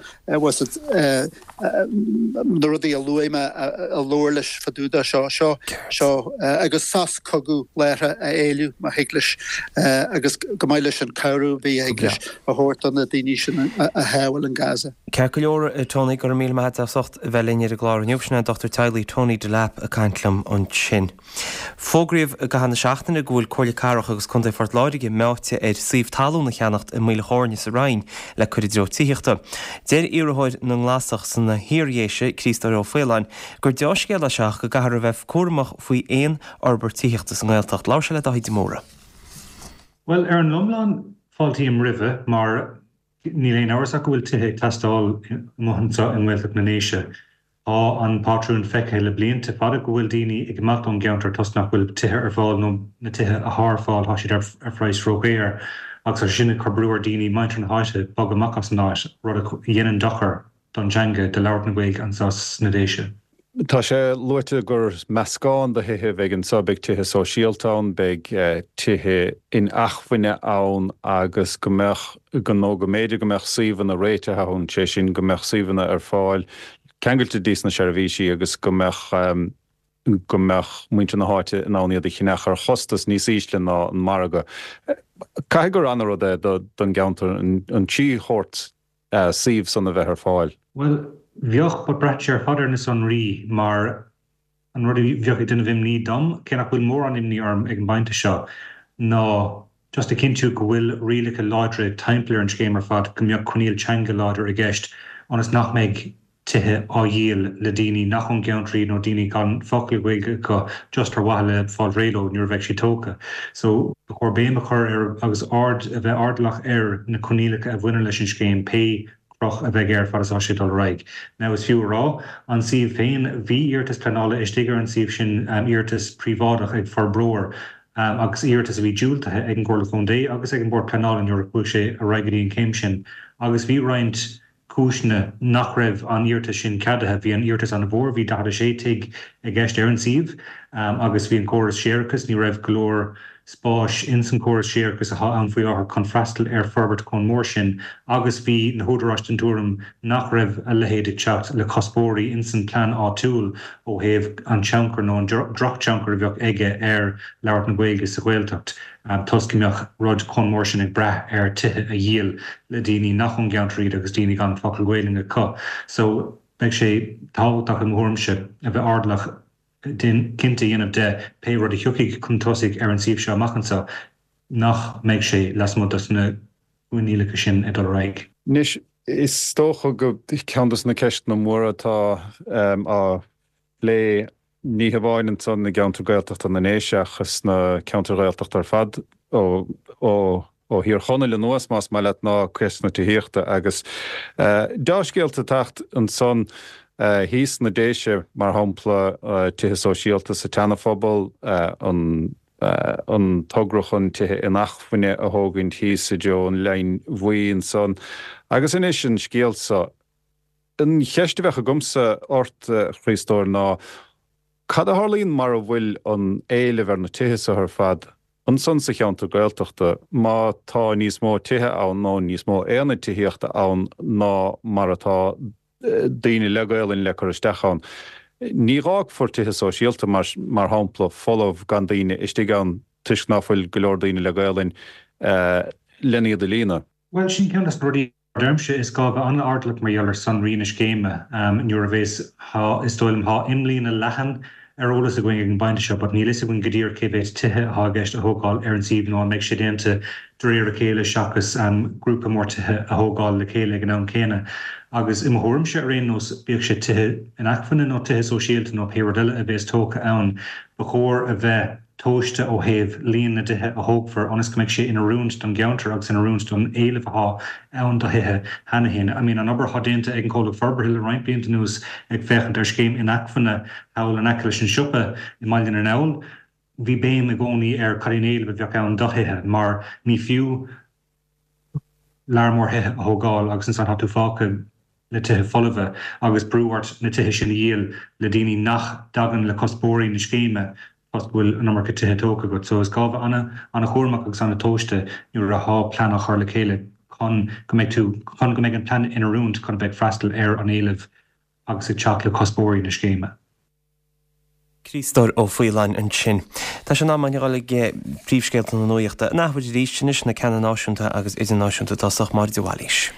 Na rudaí a luaigh mé a labhairt leis fá dtaobh de seo, seo, seo agus sos cogaidh láithreach a éileamh má thig leis agus go maith leis an cabhrú a bhí a thig leis a thabhairt do na daoine sin a shábháil in Gaza. Ceart go leor, Tony, go raibh míle maith agat as ucht a bheith linn ar an gclár inniu. Sin é an dochtúir teaghlaigh Tony Delap ag caint liom ansin. Fógraíodh i gcaitheamh na seachtaine go bhfuil Comhairle Cathrach agus Contae Phort Láirge meáite ar suíomh talún a cheannacht i Maoil Chóirne sa Rinn le cur i dtreo tithíochta. Deir iarrthóir na nGlasach sna hIardhéise, Críostóir Ó Faoláin, gur deá-scéal é seo ach go gcaithfear a bheith cúramach faoi aon fhorbairt tithíochta sa nGaeltacht. Labhair sé le Dáithí de Mórdha. Bhuel, ar an iomlán, fáiltím roimhe mar níl aon amhras ach go bhfuil tithe ag teastáil amuigh anseo i nGaeltacht na nDéise. Tá an pátrún feicthe le blianta fada go bhfuil daoine ag imeacht ón gceantar toisc nach bhfuil tithe ar fáil nó na tithe atá ar fáil tá siad ar phraghas ródhaor agus tá sin ag cur brú ar daoine, muintir na háite, bogadh amach as an áit, rud a dhéanann dochar don teanga, do labhairt na Gaeilge anseo sna Déise. Tá sé luaite gur meascán de thithe a bheidh anseo, beidh tithe sóisialta ann, beidh tithe inacmhainne ann agus go mbeadh, nó go mb'fhéidir go mbeadh suíomhanna réitithe ann, sé sin go mbeadh suíomhanna ar fáil ceangailte dtí na seirbhísí agus go mbeadh go mbeadh muintir na háite in ann iad a cheannach ar chostas níos ísle ná an margadh. Caithfidh gur an-rud é don gceantar an trí shórt suíomh san a bheith ar fáil. Bhuel, bheadh, but braitheann sé ar fad ar na sonraí mar an rud a bheadh ag déanamh imní dom, cé nach bhfuil mórán imní orm ag an bpointe seo, ná just a chinntiú go bhfuil rialacha láidre timpeall ar an scéim ar fad, go mbeadh coinníoll teanga láidir i gceist ionas nach mbeidh tithe á dhíol le daoine nach ón gceantar iad nó daoine gan focal Gaeilge acu just ar mhaithe le fáil réidh leo nuair a bheidh siad tógtha. So, ba chóir béim a chur ar agus aird a bheith airdeallach ar na coinníollacha a bhaineann leis an scéim, pé cruth a bheidh air fad is atá sé ag dul ar aghaidh. Now is fiú a rá, an suíomh féin, bhí iarratas pleanála istigh ar an suíomh sin, iarratas príobháideach ag forbróir agus iarratas a bhí diúltaithe ag an gComhairle Contae agus ag an Bord Pleanála nuair a chuaigh sé ar aghaidh go dtí an chéim sin agus bhí roinnt cúiseanna nach raibh an iarratas sin ceadaithe. Bhí an iarratas an-mhór, bhí daichead a sé tigh i gceist ar an suíomh agus bhí an córas séarachais, ní raibh go leor spáis ins an córas séarachais atá ann faoi láthair chun freastal ar forbairt chomh mór sin agus bhí na húdaráis den tuairim nach raibh a leithéid ag teacht le cuspóirí ins an plean áitiúil ó thaobh an tionchar nó an drochthionchar a bheadh aige ar labhairt na Gaeilge sa Ghaeltacht toisc go mbeadh rud chomh mór sin ag brath ar tithe a dhíol le daoine nach ón gceantar iad agus daoine gan focal Gaelainne acu. So beidh sé tábhachtach i mo thuairimse a bheith airdeallach cinnte a dhéanamh de pé rud a thiocfaidh chun tosaigh ar an suíomh seo amach anseo nach mbeidh sé lasmuigh dos na coinníollacha sin ag dul ar aghaidh. Anois, is dócha go ceann dos na ceisteanna móra atá á phlé ní hamháin ansan i gceantar Gaeltachta na nDéise ach sna ceantair Ghaeltachta ar fad ó ó ó Thír Chonaill anuas, más maith leat, ná ceist na tithíochta agus deá-scéalta ag teacht ansan thíos sna Déise, mar shampla, tithe sóisialta sa tSeana-Phobal, an an togra chun tithe inacmhainne a thógaint thíos i dtreo an Line Bhuí ansan agus anois an scéal so. An cheist a bheadh agamsa ort, a Chriostóir, ná cad a tharlaíonn mara bhfuil an éileamh ar na tithe so ar fad ansan sa cheantar Gaeltachta má tá níos mó tithe ann nó níos mó aonad tithíochta ann ná mar atá daoine le Gaelainn le cur isteach ann. Ní dh'fhágfar tithe sóisialta mar mar shampla folamh gan daoine istigh ann toisc ná fuil go leor daoine le Gaelainn len iad a líonadh. Bhuel, sin ceann de na rudaí a deirimse, is gá bheith an-airdeallach mar gheall ar sonraí na scéime nuair a bhéas, is dóigh liom, tá imlíne leathan ar eolas againn ag an bpointe seo but níl fhios againn go díreach cé mhéad tithe atá i gceist a thógáil ar an suíomh nó an mbeidh sé déanta de réir a chéile seachas grúpa mór tithe a thógáil le chéile ag an am céanna. Agus i mo thuairimse ar aon nós, bíodh sé tithe inacmhainne nó tithe sóisialta nó pé rud eile a bhéas tógtha ann, ba chóir a bheith tomhaiste ó thaobh líon na dtithe a thógfar ionas go mbeidh sé in oiriúint don gceantar agus in oiriúint don éileamh atá ann do thithe cheana féin. I mean, an obair atá déanta ag an chomhlacht forbartha le roinnt blianta anuas ag féachaint ar scéim inacmhainne thall in aice leis an siopa i mBaile na nGall, bhí béim i gcónaí ar cad é an éileamh a bheadh ann do thithe mar ní fiú lear mór thithe a thógáil agus ansan tá tú fágtha le tithe folmha agus brú ort na tithe sin a dhíol le daoine nach dtagann le cuspóirí na scéime toisc go bhfuil an iomarca tithe tógtha agat. So is gá bheith an-chúramach agus an-tomhaiste nuair atá plean á chur le chéile chun go mbeidh tú, chun go mbeidh an plean in oiriúint chun a bheith ag freastal ar an éileamh agus ag teacht le cuspóirí na scéime. Críostóir Ó Faoláin ansin. Tá sé in am againn a dhul ag príomhscéalta na nuachta in athuair arís anois, na ceanna náisiúnta agus idirnáisiúnta i dtosach, Máire de Bhailís.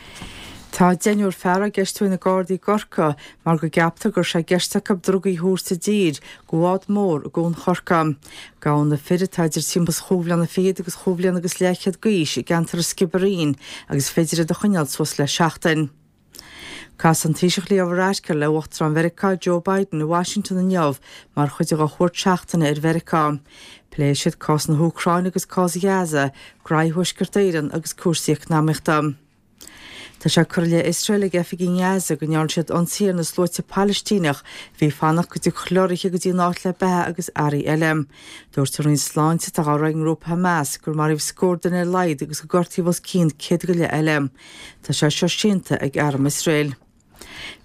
Tá deichniúr fear á gceistiú ag na Gardaí i gCorcaigh mar go gceaptar go raibh sé i gceist acu drugaí a thabhairt i dtír go bhád mór i gCuan Chorcaí. Gabhadh na fir atá idir timpeall is chúig bhliana fichead agus chúig bhliana agus leathchéad d'aois i gceantar an Sciobairín agus féidir iad a choinneáil suas le seachtain. Casfaidh an Taoiseach Leo Varadkar le Uachtarán Mheiriceá Joe Biden i Washington inniu mar chuid dá chuairt seachtaine ar Mheiriceá. Pléifidh siad cás na hÚcráine agus cás Ghaza, graí Thuaisceart Éireann agus cúrsaí eacnamaíochta. Tá sé curtha i leith Iosrael ag oifigigh i nGaza go ndearna siad ionsaí ar na sluaite Palaistíneach a bhí ag fanacht go dtiocfadh leoraithe go dtí an áit le beatha agus earraí eile. Dúirt an Roinn Sláinte, atá á rith ag an ngrúpa Hamas, gur maraíodh scór duine ar a laghad agus gur gortaíodh os cionn céad go leith eile. Tá sé seo séanta ag arm Iosrael.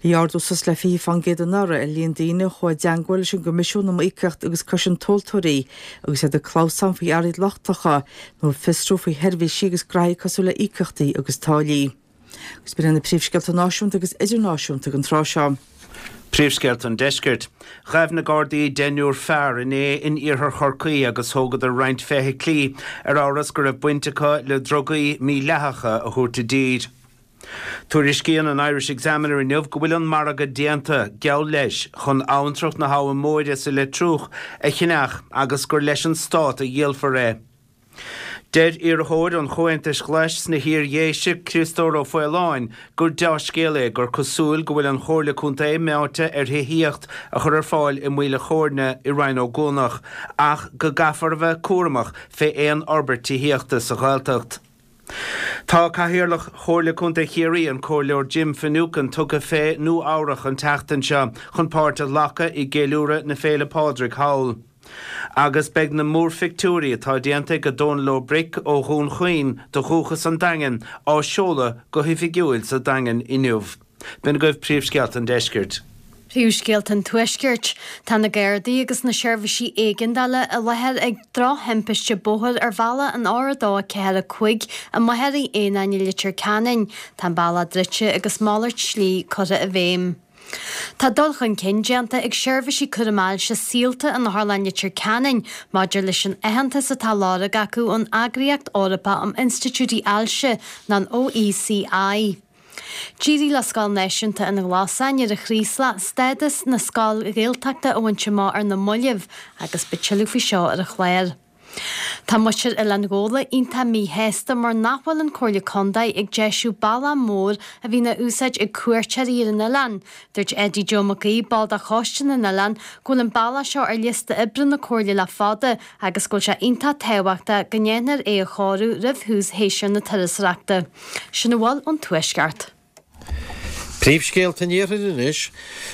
Bhí ardú suas le fiche fán gcéad anuraidh ar líon daoine a chuaigh i dteangmháil leis an gCoimisiún um Iomaíocht agus Cosaint Tomhaltóirí agus iad ag clamhsán faoi earraí lochtacha nó ag fiosrú faoi sheirbhísí agus graithí cosúil le íocaíochtaí agus táillí. Agus b'in iad na príomhscéalta náisiúnta agus idirnáisiúnta don tráth seo. Príomhscéalta an Deiscirt. Ghabh na Gardaí deichniúr fear inné in iarthar Chorcaí agus thógadar roinnt feithiclí ar amhras go raibh baint acu le drugaí mídhleathacha a thabhairt i dtír. Tuairiscíonn an Irish Examiner inniu go bhfuil an margadh déanta, geall leis, chun abhantrach na hAbha Móire sa Leitriúch a cheannach agus gur leis an Stát a dhíolfar é. Deir iarrthóir an Chomhaontais Ghlais sna hIar-Dhéise, Criostóir Ó Faoláin, gur deá-scéal é gur cosúil go bhfuil an Chomhairle Contae meáite ar thithíocht a chur ar fáil i Maoil a' Chóirne i Rinn Ó gCuanach ach go gcaithfear a bheith cúramach fé aon fhorbairt tithíochta sa Ghaeltacht. Tá Cathaoirleach Chomhairle Contae Chiarraí, an Comhairleoir Jim Finucane, tugtha fé Nua Eabhrach an tseachtain seo chun páirt a ghlacadh i gceiliúradh na Féile Pádraig thall. Agus beidh na múrphictiúirí atá déanta ag Dónal Ó Bric ó Dhún Chaoin de dhúchas an Daingin á seoladh go hoifigiúil sa Daingean inniu. B'in agaibh príomhscéalta an deiscirt. Príomhscéalta an Tuaiscirt. Tá na Gardaí agus na seirbhísí éigeandála i láthair ag drochthimpiste bóthair ar bhealach an R a dó a ceathair a cúig i Machairí Éanáin i Leitir Ceanainn. Tá an bealach druidte agus malairt slí curtha i bhfeidhm. Tá dul chun cinn déanta ag seirbhísí cúraim ailse Saolta in Otharlann Leitir Ceanainn maidir leis an aitheantas atá á lorg acu ón Eagraíocht Eorpach um Institiúidí Ailse, nó an OECI. D'éirigh le Scoil Náisiúnta an Ghlasáin ar an Chraoslach stádas na scoil Ghaeltachta a bhaint amach ar na mallaibh agus beidh tuilleadh faoi seo ar an chlár. Tá muintir Oileán Ghabhla iontach míshásta mar nach bhfuil an Comhairle Contae ag deisiú bealach mór a bhíonn á úsáid ag cuairteoirí ar an oileán. Dúirt Eddie Joe Mac Aoidh, ball de Choiste na nOileán, go bhfuil an bealach seo ar liosta oibre na Comhairle le fada agus go bhfuil sé iontach tábhachtach go ndéanfar é a chóiriú roimh thús shéasúr na turasóireachta. Sin a bhfuil ón Tuaisceart. Príomhscéalta an Iarthair anois.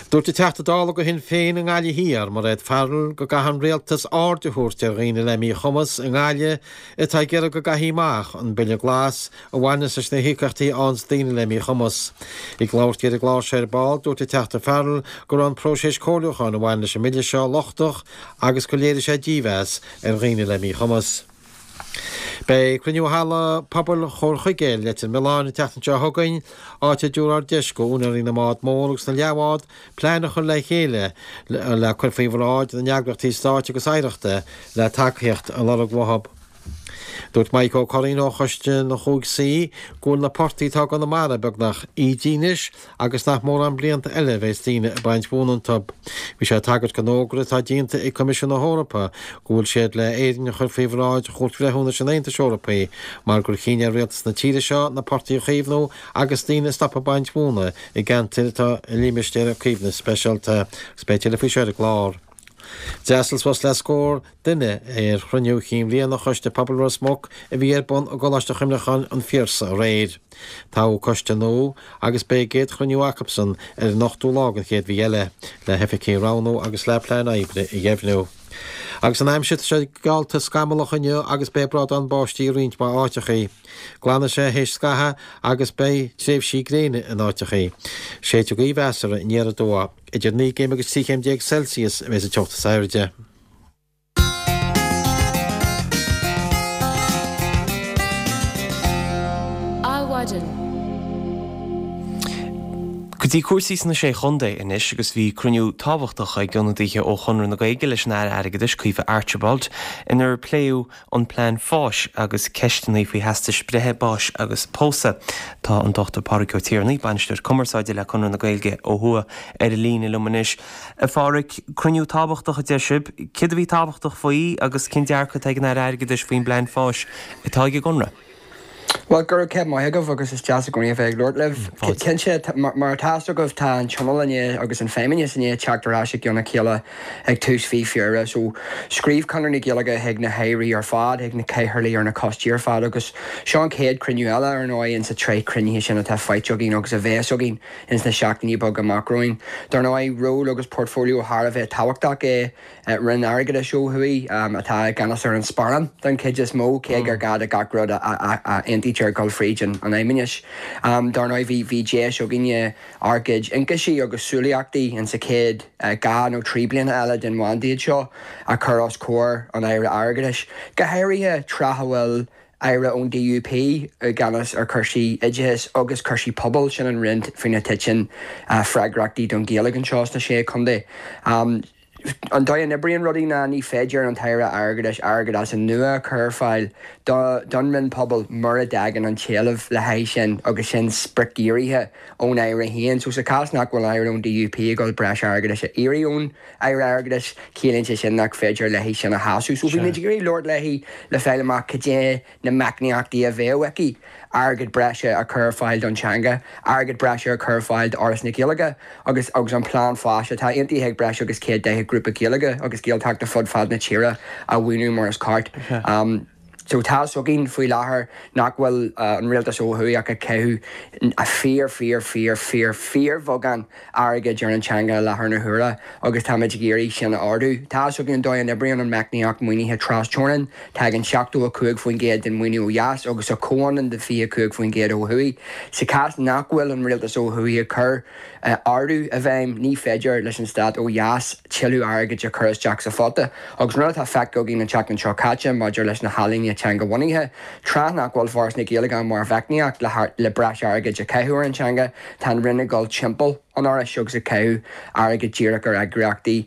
Dúirt an Teachta Dála do Shinn Féin i nGaillimh Thiar, Mairéad Farrell, go gcaithfidh an Rialtas aird a thabhairt ar dhaoine le míchumas i nGaillimh atá ag iarraidh go gcaithfí amach an Bille Glas a bhaineas leis na híocaíochtaí a fhaigheanns daoine le míchumas. Ag labhairt di ar an gclár seo ar ball, dúirt an Teachta Farrell go raibh an próiseas comhairliúcháin a bhain leis an mbille seo lochtach agus gur léirigh sé dímheas ar dhaoine le míchumas. Beidh cruinniú i Halla Pobail Chomhair Chuigéil, Leitir Mealláin an tseachtain seo chugainn, áit a dtabharfar deis go úinéirí na mbád mór agus na leathbhád plean a chur le chéile le cur faoi bhráid na n-eagraíochtaí stáit agus oidhreachta le tacaíocht a lorg uathu. Dúirt Maidhc Ó Curraoin ó Choiste na Chúig Suí go bhfuil na portaigh atá i gConamara beagnach ídithe anois agus nach mórán blianta eile a bheas daoine ag baint mhóna iontu. Bhí sé ag tagairt don fhógra atá déanta ag Coimisiún na hEorpa go bhfuil siad le Éirinn a chur faoi bhráid Chúirt Bhreithiúnais an Aontais Eorpaigh mar gur chinn ar rialtas na tíre seo na portaigh a chaomhnú agus daoine a stopadh ag baint mhóna i gceantair atá i limistéir caomhnaithe speisialta. Agus beidh tuilleadh faoi seo ar an gclár. D'fhreastail suas le scór duine ar chruinniú chinn bhliana Choiste Pobail Ros Muc a bhí ar bun i gColáiste Chuimhneacháin an Phiarsaigh aréir. Toghadh coiste nua agus beidh a gcéad chruinniú acusan ar an ochtú lá den chéad mhí eile le hoifigigh a roghnú agus le plean oibre a dheimhniú. Agus an aimsir, tá sé geallta scamallach inniu agus beidh brádán báistí i roinnt mhaith áiteachaí. Glanfaidh sé théis scathaimh agus beidh tréimhsí gréine in áiteachaí. Séidfidh gaoth mheasartha aniar aduaidh. Idir naoi gcéim agus trí chéim déag Celsius a bheas an teocht is airde. Adhmhaidin. Go dtí cúrsaí sna Sé Chontae anois agus bhí cruinniú tábhachtach ag ionadaithe ó Chonradh na Gaeilge leis an Aire Airgeadais, Caoimhe Archibald, inar pléadh an plean fáis agus ceisteanna faoi theastais breithe, báis agus pósadh. Tá an Dochtúir Pádraig Ó Tiarnaigh, Bainisteoir Cumarsáide le Conradh na Gaeilge ó thuaidh, ar an líne liom anois. A Phádraig, cruinniú tábhachtach a deir sibh. Céard a bhí tábhachtach faoi agus cén dearcadh atá ag an Aire Airgeadais faoin bplean fáis atá ag an gConradh? Bhuel, go raibh céad maith agaibh agus is deas i gcónaí a bheith ag labhairt libh. Cinnte, mar atá fhios agaibh, tá an Tionól i ndiaidh agus an Feidhmeannas i ndiaidh teacht ar ais i gcionn a chéile ag tús mhí Feabhra. So, scríobh Conradh na Gaeilge chuig na hAirí ar fad, chuig na cathaoirligh ar na coistí ar fad agus seo an chéad chruinniú eile, ar ndóigh, insa tsraith cruinnithe sin atá faighte againn agus a bheas againn ins na seachtainí beaga amach romhainn. Dar ndóigh, ról agus portfóilió thar a bheith tábhachtach é Roinn Airgeadais ó thuaidh, atá i gceannas ar an sparán den chuid is mó, cé gur gá do gach rud a aontaítear dul fríd an Fheidhmeannas. Dar ndóigh, bhí bhí deis againne ár gcuid ionchaisí agus súilíochtaí insa chéad dhá nó trí bliana eile den mhandát seo a chur os comhair an Aire Airgeadais, go háirithe tráth a bhfuil Aire ón DUP i gceannas ar chúrsaí oideachais agus cúrsaí pobail, sin an roinn faoina dtiteann freagrachtaí don Ghaeilge anseo sna Sé Chontae. An dóigh a n-oibríonn rudaí ná ní féidir an tAire Airgeadais airgead as an nua a chur ar fáil don Roinn Pobail mura dtagann an t-éileamh le haghaidh sin agus sin spriocdhírithe ón Aire féin. So sa chás nach bhfuil Aire ón DUP ag dul breis airgeadais a iarraidh ón Aire Airgeadais, ciallaíonn sé sin nach féidir léi sin a shásamh. So bhí muid ag iarraidh labhairt léi le fáil amach cad é na meicníochtaí a bheadh aici airgead breise a chur ar fáil don teanga, airgead breise a chur ar fáil d'Fhoras na Gaeilge agus agus an plean fáis atá aontaithe ag breis agus céad daichead grúpa Gaeilge agus Gaeltachta fud fad na tíre a mhaoiniú mar is ceart. So tá a fhios againn faoi láthair nach bhfuil an rialtas ó thuaidh ach ag caitheamh a fíor fíor fíor fíor fíorbheagán airgid ar an teanga i láthair na huaire agus táimid ag iarraidh sin a ardú. Tá a fhios againn an dóigh a n-oibríonn an meicníocht maoinithe trasteorann, tagann seachtó a cúig faoin gcéad den mhaoiniú ó dheas agus a comhionann de fiche cúig faoin gcéad ó thuaidh. Sa chás nach bhfuil an rialtas ó thuaidh ag cur ardú i bhfeidhm, ní féidir leis an stát ó dheas tuilleadh airgid a chur isteach sa phota. Agus an rud atá feicthe againn an tseachtain seo caite maidir leis na healaíona teangabhunaithe, tráth nach bhfuil Foras na Gaeilge ann mar mheicníocht le breis airgid a chaitheamh ar an teanga, tá an Roinn ag dul timpeall an Fhorais agus ag caitheamh airgid díreach ar eagraíochtaí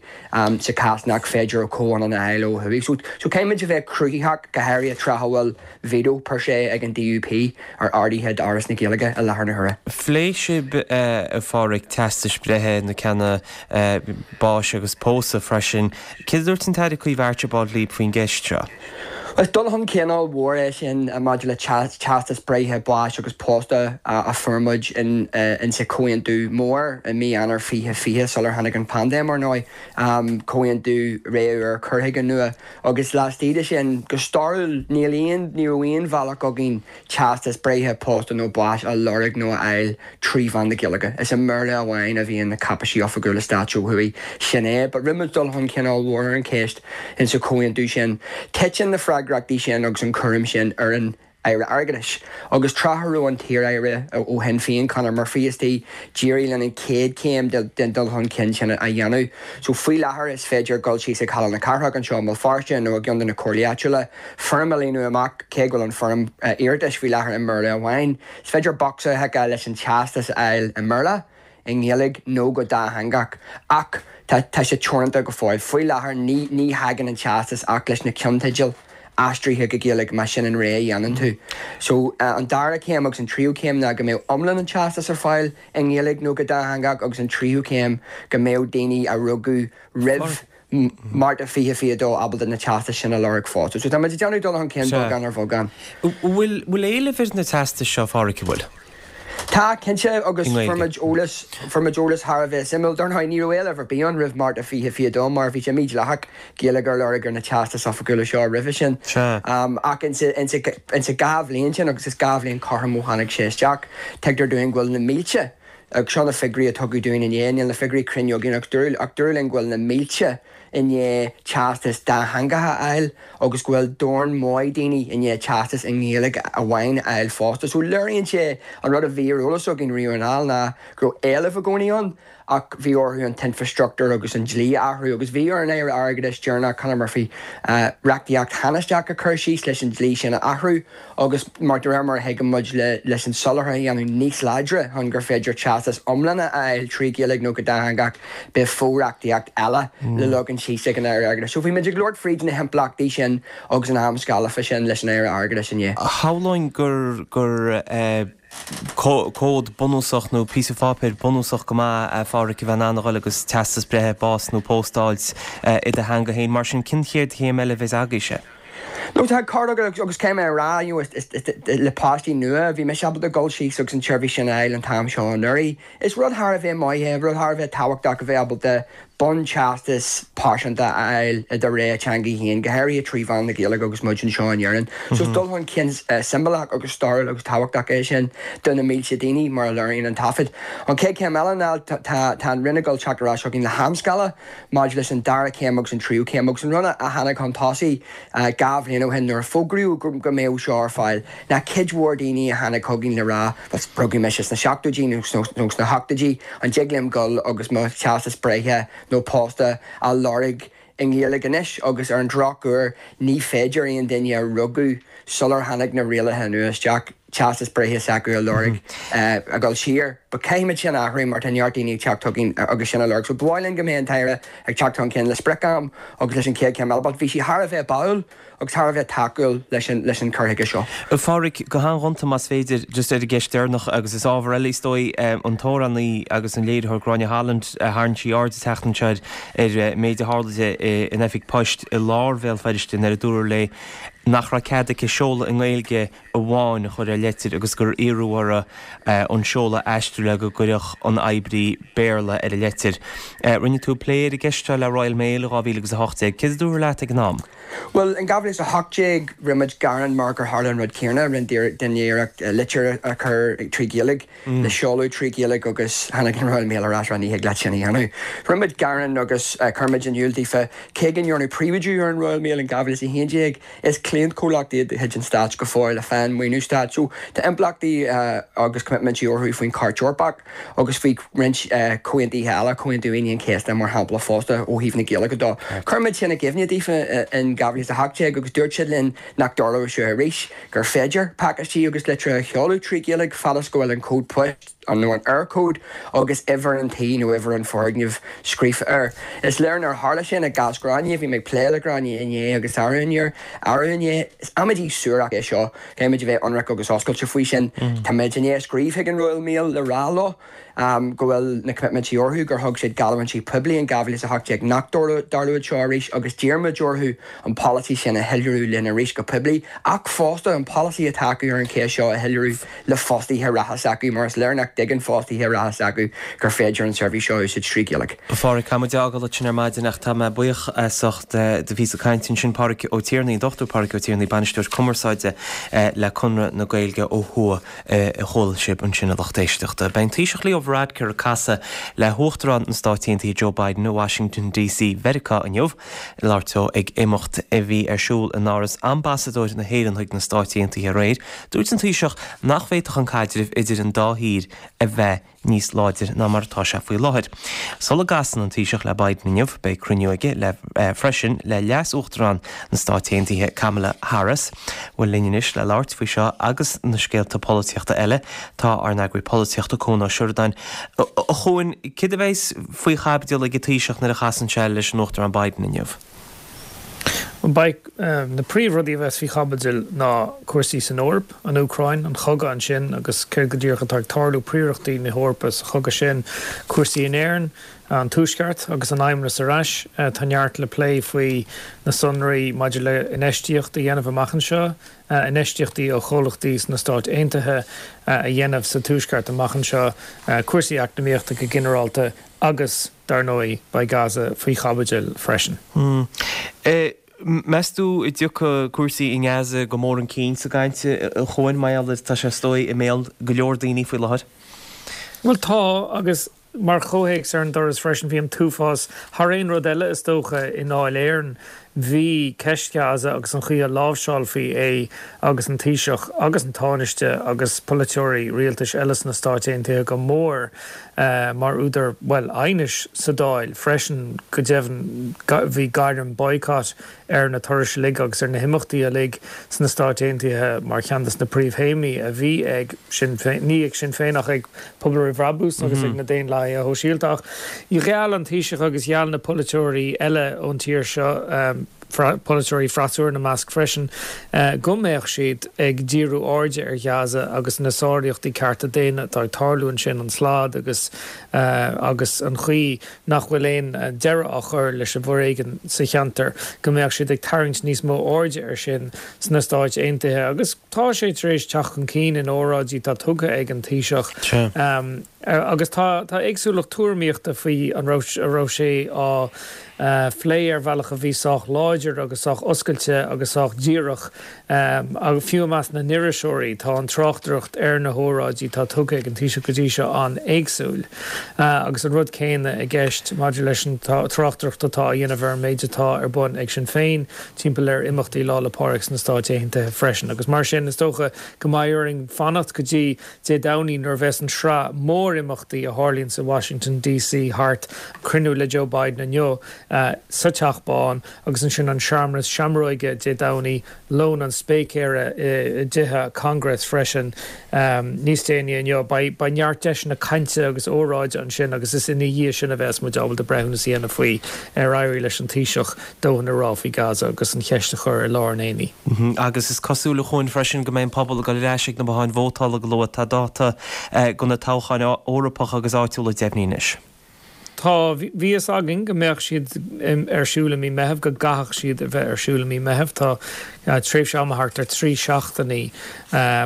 sa chás nach féidir a chomhionann a fháil ó thuaidh. So caithfimid a bheith cruthaitheach, go háirithe tráth a bhfuil veto per se ag an DUP ar arduithe d'Fhoras na Gaeilge i láthair na huaire. Phléigh sibh, a Pháraic, teastais breithe, na ceanna báis agus pósadh freisin. Céard a dúirt an tAire Caoimhe Archibald libh faoin gceist seo? Is dul chun cinn ollmhór é sin maidir le teastas breithe, báis agus pósta a fuair muid in sa Chomhaontú Mór i mí Eanáir fiche fiche, sular tháinig an paindéim, ar ndóigh, Comhaontú Ré Úr Cur Chuige Nua. Agus laistigh de sin, go stairiúil, níl aon, ní raibh aon bhealach againn teastas breithe, pósta nó báis a lorg nó a fháil trí mheán na Gaeilge. Is i mBéarla amháin a bhíonn na cáipéisí oifigiúla stáit ó thuaidh. Sin é. But rinne muid dul chun cinn ollmhór ar an cheist in sa chomhaontú sin. Titeann na freagrachtaí sin agus an cúram sin ar an Aire Airgeadais. Agus tráth a raibh an t-iar-aire ó Shinn Féin, Conor Murphy, istigh, d'éirigh linn an chéad chéim den dul chun cinn sin a dhéanamh. So faoi láthair is féidir dul síos ag Halla na Cathrach anseo i mBéal Feirste nó i gceann de na comhairlí áitiúla, foirm a líonadh amach, cé go bhfuil an foirm iarratais faoi láthair i mBéarla amháin. Is féidir bocsa a thiceáil leis an teastas a fháil i mBéarla. i nGaeilge nó go dátheangach, ach tá tá sé teoranta go fóill. Faoi láthair ní ní thagann an teastas ach leis na ceannteidil aistrithe go Gaeilge más sin an rogha a dhéanann tú. So an dara céim agus an tríú céim ná go mbeadh iomlán an teastas ar fáil i nGaeilge nó go dátheangach agus an tríú céim go mbeadh daoine a rugadh roimh Márta fiche fiche dó ábalta na teastais sin a lorg fosta. So tá muid ag déanamh dul chun cinn beagán ar bheagán. Bhfuil bhfuil éileamh ar na teastais seo, a Pháraic, an bhfuil? Tá, cinnte, agus fuair muid eolas, fuair muid eolas thar a bheith suimiúil. Dar ndóigh, ní raibh éileamh ar bith ann roimh Márta fiche fiche dó mar bhí sé mídhleathach Gaeilge a lorg ar na teastais oifigiúla seo roimhe sin. Ach insa, insa, insa dhá bhliain sin, agus is dhá bhliain cothrom ó tháinig sé isteach, tuigtear dúinn go bhfuil na mílte, agus seo na figiúirí a tugadh dúinn inné, níl na figiúirí cruinn againn ach dúradh, ach dúradh linn go bhfuil na mílte i ndiaidh teastas dátheangach a fháil agus go bhfuil dorn maith daoine i ndiaidh teastas i nGaeilge amháin a fháil fosta. So léiríonn sé an rud a bhí ar eolas againn riamh anall ná go raibh éileamh i gcónaí ann ach bhí orthu an t-infreastruchtúr agus an dlí a athrú agus bhí ar an Aire Airgeadais deireanach, Conor Murphy, reachtaíocht thánaisteach a chur síos leis an dlí sin a athrú agus mar de réir mar a thuigeann muid leis an soláthar a dhéanamh níos láidre chun gur féidir teastas iomlán a fháil trí Ghaeilge nó go dátheangach beidh fo-reachtaíocht eile le leagan síos ag an Aire Airgeadais. So bhí muid ag labhairt fríd na himpleachtaí sin agus an amscála fá sin leis an Aire Airgeadais inné. Shamhlóinn gur gur comhad bunúsach nó píosa pháipéir bunúsach go maith a Pháraic a bheith in ann a dhul agus teastas breithe, bás nó pósta a fháilt i do theanga féin. Mar sin cén chéad chéim eile a bheas agaibhse? No tá ceart agat agus caithfidh mé a rá you know is le páistí nua bhí mise ábalta dul síos agus an tseirbhís sin a fháil an t-am seo anuraidh. Is rud thar a bheith maith é, rud thar a bheith tábhachtach a bheith ábalta bunteastas pearsanta a fháil i do rogha teanga féin, go háirithe trí mheán na Gaeilge agus muid anseo in Éirinn. So is dul chun cinn siombalach agus stairiúil agus tábhachtach é sin do na mílte daoine, mar a léiríonn an taifead. An chéad chéim eile ná tá an Roinn ag dul teacht ar ais chugainn le hamscála maidir leis an dara céim agus an tríú céim agus an rud a tháinig chun tosaigh dhá bhliain ó shin nuair a fógraíodh go mbeadh seo ar fáil ná cuid mhór daoine a tháinig chugainn le rá bhuel rugadh mise sna seachtóidí nó sna hochtóidí, an dtig liom dul agus mo theastas breithe nó pósta a lorg i nGaeilge anois agus ar an drochuair ní féidir aon duine a rugadh sular tháinig na rialacha nua isteach teastas breithe s'acu a lorg a dhul siar. But caithfimid sin a athrú mar tá neart daoine ag teacht chugainn agus sin a lorg. So ba mhaith linn go mbeidh an tAire ag teacht chun cinn le sprioc-am agus leis an chéad chéim eile. But bhí sí thar a bheith báúil agus thar a bheith tacúil leis an leis an cur chuige seo. A Pháraic, go han-ghonta más féidir, just ar an gceist deireanach agus is ábhar eile is dóigh, an t-amhránaí agus an léiritheoir Gráinne Holland, tharraing sí aird an tseachtain seo ar an méid a tharla di in oifig poist i lár Bhéal Feirste nuair a dúradh léi nach raibh cead aici seoladh i nGaeilge amháin a chur ar leitir agus gur iarradh uirthi an seoladh a aistriú le go gcuirfeadh an oibrí Béarla ar an leitir. Rinne tú plé ar an gceist seo le Royal Mail i dhá mhíle agus a hocht déag. Céard a dúradh leat ag an am? Bhuel, in dhá mhíle is a hocht déag rinne muid gearán mar gur tharla an rud céanna, rinne duine iarracht litir a chur trí Ghaeilge, le seoladh trí Ghaeilge agus tháinig an Royal Mail ar ais ag rá ní thig leat sin a dhéanamh. Rinne muid gearán agus chuir muid in iúl daofa, cé go ndearnadh príobháidiú ar an Royal Mail in dhá mhíle is a haon déag, is cliantchomhlacht iad de chuid an stáit go fóill a fhaigheann maoiniú stáit. So tá impleachtaí agus coimitmintí orthu faoin Chairt Eorpach agus faoi roinnt comhaontuithe eile, Comhaontú Aoine an Chéasta mar shampla fosta ó thaobh na Gaeilge de. Chuir muid sin i gcuimhne daofa in dhá mhíle is a hocht déag agus dúirt siad linn nach dtarlódh seo arís, gur féidir pacáistí agus litreacha a sheoladh trí Ghaeilge fad is go bhfuil an cód poist, nó an Eircode, agus uimhir an tí nó uimhir an fhoirgnimh scríofa air. Is léir nár tharla sin i gcás Ghráinne, bhí mé ag plé le Gráinne inné agus arú inné. Is amaidí suarach é seo, caithfidh muid a bheith ionraic agus oscailte faoi sin. Tá muid i ndiaidh scríobh chuig an Royal Mail le rá leo go bhfuil na coimitmintí orthu, gur thug siad geallúintí poiblí in dhá mhíle is a hocht déag nach dtarlódh seo arís agus d'iarr muid orthu an polasaí sin a shoiléiriú linn arís go poiblí ach fosta an polasaí atá acu ar an cheist seo a shoiléiriú le fostaithe reatha s'acu mar is léir nach dtuigeann fostaithe reatha s'acu gur féidir an tseirbhís seo a úsáid trí Ghaeilge. A Pháraic, caithfidh muid a fhágáil ansin ar maidin ach tá mé buíoch as ucht do phíosa cainte ansin Páraic Ó Tiarnaigh, an Dochtúir Páraic Ó Tiarnaigh, Bainisteoir Cumarsáide le Conradh na Gaeilge ó thuaidh a chuala sibh ansin a lucht éisteachta. Beidh an Taoiseach Leo Varadkar ag casadh le hUachtarán na Stáit Aontaithe Joe Biden i Washington D C Mheiriceá inniu. Ag labhairt dó ag imeacht a bhí ar siúl in Áras Ambasadóir na hÉireann chuig na Stáit Aontaithe aréir, dúirt an Taoiseach nach bhféadfadh an caidreamh idir an dá thír a bheith níos láidre ná mar atá sé faoi láthair. Sula gcasann an Taoiseach le Biden inniu, beidh cruinniú aige le freisin le Leas-Uachtarán na Stáit Aontaithe Kamala Harris. Bhuel linn anois le labhairt faoi seo agus na scéalta polaitíochta eile tá ár n-eagraí polaitíochta Cuan Ó Seireadáin. A Chuain, céard a bheas faoi chaibidil ag an Taoiseach nuair a chasann sé leis an Uachtarán Biden inniu? Beidh na príomhrudaí a bheas faoi chaibidil ná cúrsaí san Eoraip, an Úcráin, an chogadh ansin agus céard go díreach atá ag tarlú, príorachtaí na hEorpa sa chogadh sin, cúrsaí in Éirinn, an Tuaisceart agus an Fheidhmeannas ar ais. Tá neart le plé faoi na sonraí maidir le infheistíocht a dhéanamh amach anseo, infheistíochtaí ó chomhlachtaí sna Stáit Aontaithe a dhéanamh sa Tuaisceart amach anseo, cúrsaí eacnamaíochta go ginearálta agus, dar ndóigh, beidh Gaza faoi chaibidil freisin. Meas tú an dtiocfaidh cúrsaí i nGaza go mór chun cinn sa gcaint, a Chuain, mar gheall ar tá sé is dóigh i mbéal go leor daoine faoi láthair? Bhuel tá, agus mar chomhthéacs ar an dturas freisin, bhí an t-uafás thar aon rud eile is dócha i nDáil Éireann. Bhí ceist Ghaza agus an chaoi a láimhseálfaí é agus an Taoiseach agus an Tánaiste agus polaiteoirí rialtais eile sna Stáit Aontaithe go mór mar údar, bhuel, aighnis sa Dáil freisin. Go deimhin, bhí gairm boycott ar na turais uilig agus ar na himeachtaí uilig sna Stáit Aontaithe mar cheann de na príomhthéamaí a bhí ag Sinn Féin, ní ag Sinn Féin ach ag Pobal Roimh Bhrabús agus ag na Daonlathaithe Shóisialta. Ach gheall an Taoiseach agus gheall na polaiteoirí eile ón tír seo, polaiteoirí freasúra ina measc freisin, go mbeadh siad ag díriú airde ar Ghaza agus na sáraíochtaí cearta daonna atá ag tarlú ansin, an slad agus agus an chaoi nach bhfuil aon deireadh á chur leis an bhforéigean sa cheantar, go mbeadh siad ag tarraingt níos mó airde air sin sna Stáit Aontaithe. Agus tá sé tar éis teacht chun cinn in óráidí atá tugtha ag an Taoiseach. Agus tá tá éagsúlacht tuairimíochta faoi an raibh a raibh sé á phlé ar bhealach a bhí sách láidir agus sách oscailte agus sách díreach. Agus fiú i measc na n-iriseoirí, tá an tráchtaireacht ar na hóráidí atá tugtha ag an Taoiseach go dtí seo an-éagsúil. Agus an rud céanna i gceist maidir leis an tráchtaireacht atá á dhéanamh ar an méid atá ar bun ag Sinn Féin timpeall ar imeachtaí Lá 'le Pádraig sna Stáit Aontaithe freisin. Agus mar sin, is dócha go mbeidh orainn fanacht go dtí Dé Domhnaigh nuair a bheas an tsraith mór-imeachtaí a tharlaíonn sa Washington D C thart, cruinniú le Joe Biden inniu sa Teach Bán agus ansin an searmanas seamróige Dé Domhnaigh, lón an spéicéara i dtithe Congress freisin níos déanaí inniu. Beidh neart deiseanna cainte agus óráide ansin agus is ina dhiaidh sin a bheas muid ábalta breithiúnas a dhéanamh faoi ar éirigh leis an Taoiseach dóthain a rá faoi Gaza agus an cheist a chur i lár an aonaigh. Agus is cosúil, a Chuain, freisin go mbeidh an pobal ag dul ar ais ag na botháin vótála go luath. Tá dáta do na toghcháin Eorpacha agus áitiúla deimhnithe anois. Tá, bhí fhios againn go mbeadh siad ar siúl i mí Meitheamh, go gcaithfeadh siad a bheith ar siúl i mí Meitheamh. Tá tréimhse ama thart ar trí seachtainí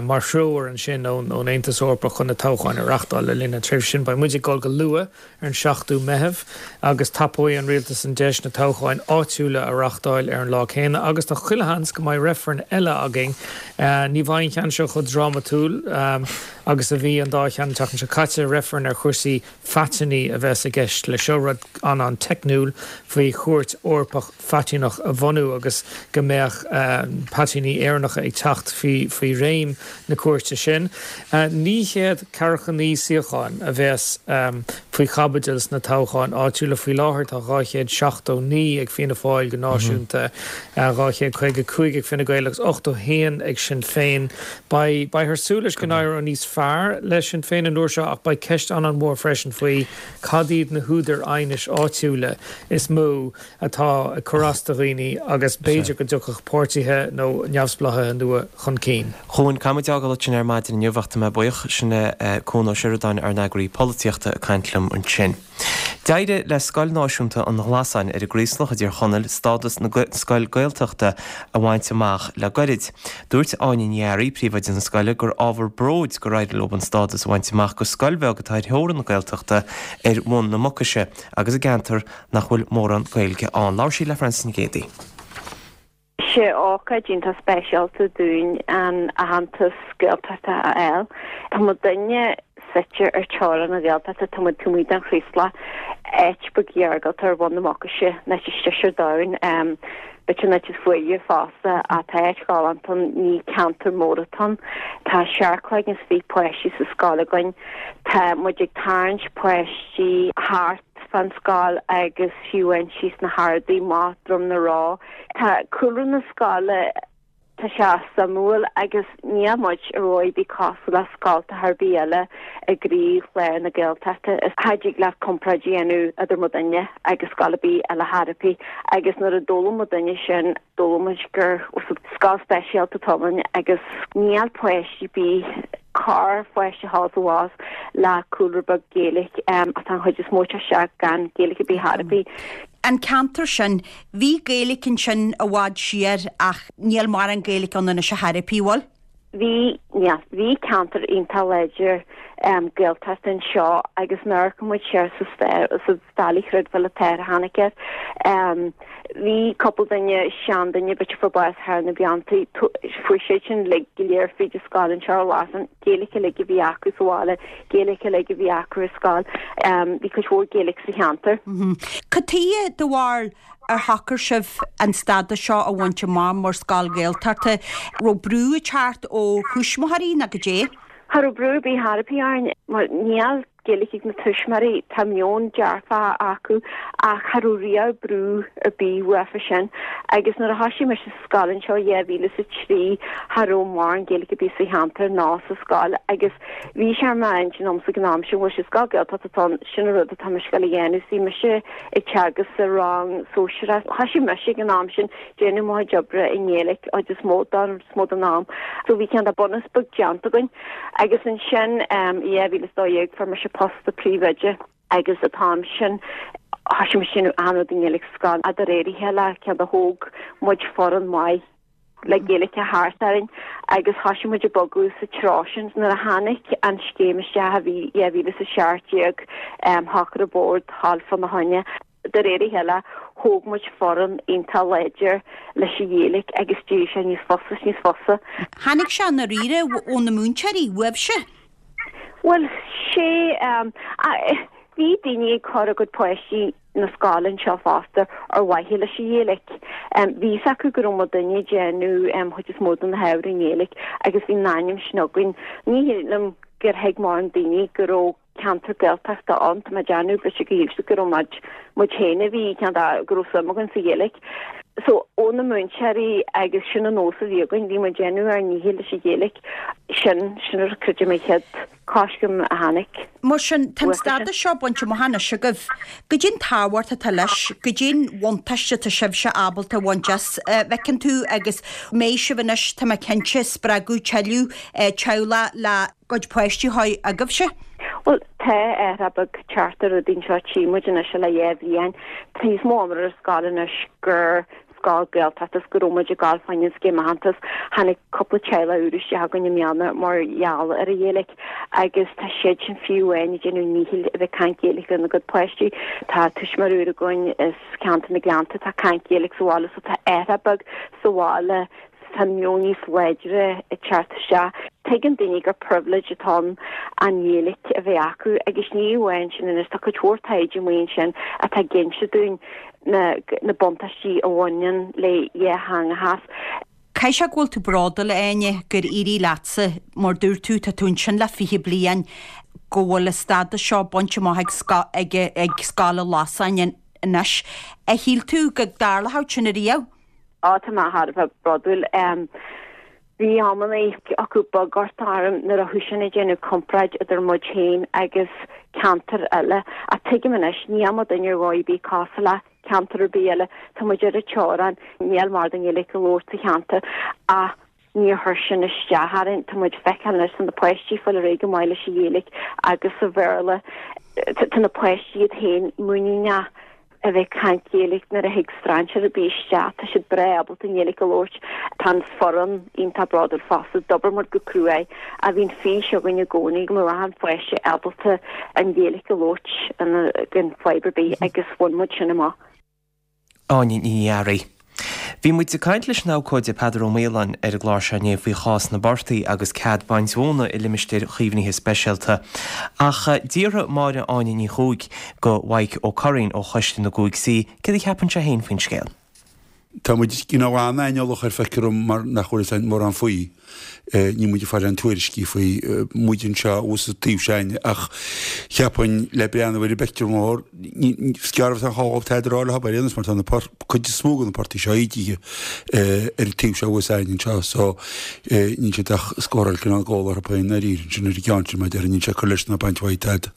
mar threoir ansin ón Aontas Eorpach chun na toghcháin a reachtáil le linn an tréimhse sin. Beidh muid ag dul go luath ar an seachtú Meitheamh agus tapóidh an rialtas an deis na toghcháin áitiúla a reachtáil ar an lá céanna agus tá chuile sheans go mbeidh reifreann eile againn. Ní bheidh an ceann seo chomh drámatúil agus a bhí an dá cheann an tseachtain seo caite, reifreann ar chúrsaí phaitinní a bheas i gceist leis seo, rud an-an-teicniúil faoi Chúirt Eorpach Phaitinneach a bhunú agus go mbeadh paitinní Éireannacha ag teacht faoi réim na cúirte sin. Naoi chéad ceathracha naoi suíochán a bheas faoi chaibidil sna toghcháin áitiúla. Faoi láthair tá dhá chéad seachtó naoi ag Fianna Fáil go náisiúnta, dhá chéad caoga cúig ag Fine Gael agus ochtó haon ag Sinn Féin. Beidh beifear ag súil leis go n-éireoidh níos fearr le Sinn Féin an uair seo ach beidh ceist an-an-mhór freisin faoi cad iad na húdair aighnis áitiúla is mó atá ag cur as do dhaoine agus b'fhéidir go dtiocfadh páirtithe nó neamhspleáchaithe nua chun cinn. A Chuain, caithfidh muid a fhágáil ansin ar maidin inniu ach tá mé buíoch. Sin é Cuan Ó Seireadáin, ár n-eagraí polaitíochta, ag caint liom ansin. D'éirigh le Scoil Náisiúnta an Ghlasáin ar an gCraoslach i dTír Chonaill stádas na scoil Gaeltachta a bhaint amach le goirid. Dúirt Áine Ní Fhearraigh, príomhoide na scoile, gur ábhar bróid gur éirigh leo an stádas a bhaint amach go scoil bheag atá ar theorainn na Gaeltachta ar Bhun na Mucaise agus i gceantar nach bhfuil mórán Gaeilge ann. Labhair sí le Frances Nic Géadaigh. Sé ócáid iontach speisialta dúinn an aitheantas Gaeltachta a fháil. Tá muidinne suite ar teorainn na Gaeltachta, tá muid taobh amuigh den Chraoslach, áit beag iargúlta ar Bhun na Mucaise, an áit is deise ar domhan. B'fhéidir an áit is fuaire fosta, ach tá áit ghalánta ann, ní ceantar mór atá ann. Tá seacht gcloigeann is fiche páistí sa scoil againn. Tá muid ag tarraingt páistí thart fán scoil agus fiú amháin síos na hArdaí amach Droim na Ró. Tá cúlra na scoile, tá sé suimiúil agus níl muid ar dhóigh ar bith cosúil le scoltacha ar bith eile i gcroílár na Gaeltachta. Cha dtig leat comparáid a dhéanamh idir muidinne agus scoil ar bith eile chor ar bith agus nuair a d'fhoghlaim muidinne sin, d'fhoghlaim muid gur scoil speisialta atá ann agus níl páistí ar bith, corrpháiste thall is abhus le cúlra beag Gaeilge ach tá an chuid is mó ag teacht isteach gan Gaeilge ar bith chor ar bith. An ceantar sin, bhí Gaeilge ansin i bhfad siar ach níl mórán Gaeilge ann anois chor ar bith, bhfuil? Bhí, yeah, bhí ceantar iontach láidir Gaeltachta anseo agus nuair a amharcann muid siar sa stair, sa Valley chreidbheáil atá ar tháinig air. Bhí cúpla duine, seanduine, b'fhéidir fuair bás thar na blianta, fuair siad sin uilig go léir fríd an scoil anseo ar Glasán, Gaeilge uilig a bhí acu sa bhaile, Gaeilge uilig a bhí acu ar scoil. Bhí cuid mhór Gaeilge sa cheantar. Cad chuige, do bharúil, ar shocair sibh an stádas seo a bhaint amach mar scoil Ghaeltachta? Raibh brú ag teacht ó thuismitheoirí nó goidé? Cha raibh brú ar bith chor ar bith orainn mar níl Gaeilge ag na tuismitheoirí, tá meon dearfach acu ach cha raibh riamh brú ar bith uafa sin. Agus nuair a thoisigh mise sa scoil anseo i dhá mhíle is a trí cha raibh mórán Gaeilge ar bith sa cheantar ná sa scoil agus bhí sé ar m'intinn agamsa ag an am sin, bhuel sé scoil Gaeltachta atá ann, sin an rud atá mise ag dul a dhéanamh. Bhí mise ag teagasc sa rang sóisearach. Thoisigh mise ag an am sin déanamh mo chuid oibre i nGaeilge chuid is mó don is mó den am. So bhí cineál de bunús beag déanta againn. Agus ansin i dhá mhíle is dó dhéag fuair mise post de príomhoide agus an t-am sin thoisigh mise déanamh achan rud i nGaeilge sa scoil. De réir a chéile cineál de thóg muid foireann maith le Gaeilge thart orainn agus thoisigh muid ag bogadh sa treo sin. Nuair a tháinig an scéim isteach a bhí dhá mhíle is a seacht déag shocair an bord dhul fána choinne. De réir a chéile thóg muid foireann iontach láidir leis an Ghaeilge agus d'éirigh sé níos fusa is níos fusa. Tháinig sé i ndáiríre ó na múinteoirí, uaibhse? Bhuel, sé, bhí daoine ag cur a gcuid páistí na scoile anseo fosta ar mhaithe leis an Ghaeilge. Bhí fhios acu go raibh muidinne ag déanamh an chuid is mó de na hábhair i nGaeilge agus bhí an ainm sin againn. Ní shílim gur thuig mórán daoine go raibh ceantar Gaeltachta ann, tá mé ag déanamh b'fhéidir go shíl siad go raibh muid, muid féin a bhí, cineál de, go raibh suim againn sa Ghaeilge. So, ó na múinteoirí agus sin an nós a bhí againn, bhí muid ag déanamh ár ndícheall leis an Ghaeilge, sin, sin a creidim an chéad coiscéim a tháinig. Mar sin, tá an stádas seo bainte amach anois agaibh. Goidé an tábhacht atá leis, goidé an bhuntáiste atá sibhse ábalta a bhaint as, a bhfeiceann tú, agus mbeidh sibh anois, tá mé cinnte, ag spreagadh tuilleadh teaghlach le gcuid páistí a chur chugaibhse? Bhuel, tá athrú beag ag teacht ar rudaí anseo, tchí muid anois le dhá bhliain. Tá níos mó iomramh ar an scoil anois gur scoil Gaeltachta is go raibh muid ag gabháil fá choinne an scéim aitheantas. Tháinig cúpla teaghlach úr isteach againn i mbliana mar gheall ar an Ghaeilge agus tá siad sin fiú amháin ag déanamh a ndíchill a bheith ag caint Gaeilge lena gcuid páistí. Tá tuismitheoir úr againn as ceantar na Gleannta atá ag caint Gaeilge sa bhaile so tá athrú beag sa bhaile tá meon níos láidre ag teacht isteach. Tuigeann daoine gur privilege atá ann an Ghaeilge a bheith acu agus ní amháin sin anois, tá cuid mhór taighde amuigh ansin atá ag inse dúinn na na buntáistí a bhaineann le dhátheangachas. Caithfidh sé go bhfuil tú bródúil, a Áine, gur éirigh leatsa, mar dúirt tú, tá tú ansin le fiche bliain, go bhfuil an stádas seo bainte amach ag ag Scoil an Lasáin anois. Ar shíl tú go dtarlódh sin ariamh? Á, tá mé thar a bheith bródúil. Bhí amannaí acu beag ort orm nuair a thosaigh ag déanamh comparáid idir muid féin agus ceantair eile. Ach tuigim anois, níl muidinne ar dhóigh ar bith cosúil le ceantar ar bith eile. Tá muid ar an teorainn, níl mórán Gaeilge á labhairt sa cheantar ach níor chuir sin isteach orainn. Tá muid ag feiceáil anois tá na páistí ag fáil ar aghaidh go maith leis an Ghaeilge agus sa Bhéarla. Tá na páistí iad féin muiníneach. a bheith ag caint Gaeilge nuair a thig strainséir ar bith isteach, tá siad breá ábalta an Ghaeilge a labhairt. Tá an foireann iontach bródúil fosta, d'obair muid go cruaidh ach bhí an fís againn i gcónaí go mbeadh achan pháiste ábalta an Ghaeilge a labhairt gan fadhb ar bith agus bhain muid sin amach. Áine Ní Fhearraigh. Bhí muid ag caint leis an abhcóide Peadar Ó Maoláin ar an gclár seo inné faoi chás na bportaigh agus cead baint mhóna i limistéir chaomhnaithe speisialta. Ach d'fhiafraigh Máire Áine Ní Chuaig go Mhaidhc Ó Curraoin ó Choiste na gCúig C céard a cheapann sé féin faoin scéal. Tá muid you know an-aineolach air feictear dom mar nach bhfuil fhios a'inn mórán faoi. Níl muid ag fáil aon tuairiscí faoi, muid anseo thuas sa taobh seo a'inne ach cheapfainn le breathnú ar an bpictiúr mór, is gearr a bheas an chomhdháil tada a rá leo ar aon nós mar tá na cuid is mó de na portaigh seo ídithe ar an taobh seo thuas a'inn anseo so níl siad ach scóráil cineál gól orthu féin dáiríre ansin ar an gceann sin mar a déarfá níl sé ag cur leis ná baint uaidh tada.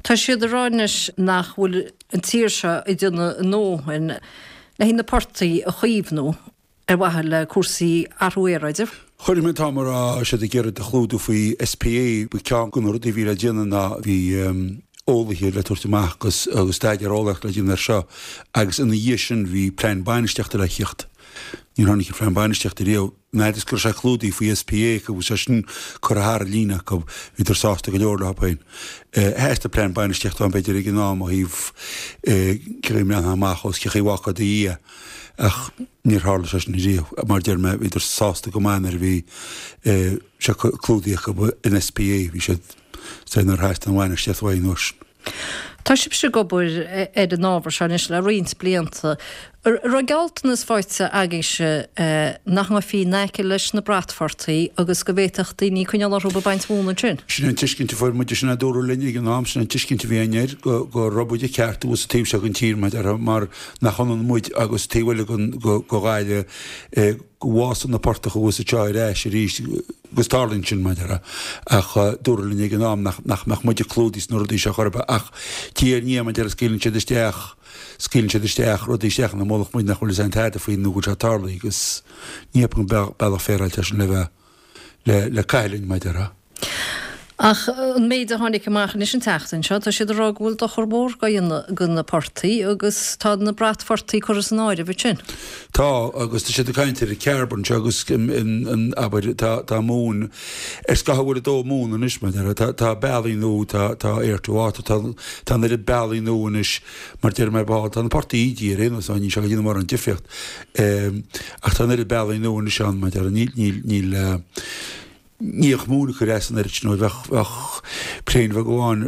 Tá siad ag rá anois nach bhfuil an tír seo ag déanamh a ndóthain le haghaidh na portaigh a chaomhnú ar mhaithe le cúrsaí athrú aeráide. Chonaic mé an t-am a raibh siad ag iarraidh a chlúdú faoi SPA, ba ceann de na rudaí a bhí le déanamh ná bhí eolaithe le tabhairt amach agus agus staidéar eolaíochta le déanamh air seo agus ina dhiaidh sin bhí plean bainistíochta le theacht. Níor tháinig an plean bainistíochta riamh. An fhad is go raibh sé clúdaithe faoi SPA acu agus sé sin curtha thar an líne acu, bhíodar sásta go leor leo féin. Theastaigh plean bainistíochta ann b'fhéidir ag an am ó thaobh cé chaoi a mbreathnófá amach os cé chaoi a bhfágfá i do dhiaidh ach níor tharla sé sin riamh. Mar a deir mé, bhíodar sásta go maith nuair a bhí sé clúdaithe acu in SPA, bhí siad sásta nár theastaigh an bhainistíocht uaidh an uair sin. Tá sibhse ag obair ar an ábhar seo anois le roinnt blianta. An raibh gealltanas faighte agaibhse nach ngabhfaí in aice leis na bratphortaigh agus go bhféadfadh daoine coinneáil orthu ag baint mhóna ansin? Sin an tuiscint a fuair muid, sin a dúradh linn ag an am, sin an tuiscint a bhí againn air, go go raibh muid i gceart thuas sa taobh seo den tír, mar a déarfá, mar nach ionann muid agus taobh eile den go Ghaillimh, go bhfásann na portacha thuas anseo ar ais arís agus tarlaíonn sin, mar a déarfá. Ach dúradh linn ag an am nach nach mbeadh muide clúdaithe sna rudaí seo chor ar bith ach diaidh ar ndiaidh, mar a déarfá, scaoileann siad isteach, scaoileann siad isteach rudaí isteach ina mullach muid nach bhfuil fhios a'inn tada faoi nó go bhfuil sé tarlaithe agus ní cheapaim go bealach féaráilte é sin le bheith le le caitheamh linn, mar a déarfá. Ach an méid a tháinig amach anois an tseachtain seo, tá siad ag rá go bhfuil dochar mór á dhéanamh do na portaigh agus tá na bratphortaigh curtha san áireamh ansin. Tá, agus tá siad ag caint ar an Chairbre anseo agus in, abair, tá, tá móin, ar scaitheamh a bhfuil ag dó móna anois, mar a déarfá, tá, tá bealaí nua, tá, tá air to water, tá, tá an oiread bealaí nua anois, mar deir mé, tá na portaigh ídithe ar aon nós, níl sé ag déanamh mórán difríocht, ach tá an oiread bealaí nua anois ann, mar a déarfá, níl, níl, níl, Ní bheadh móin ag cur as an oiread sin óir bheadh, bheadh plane bheag amháin,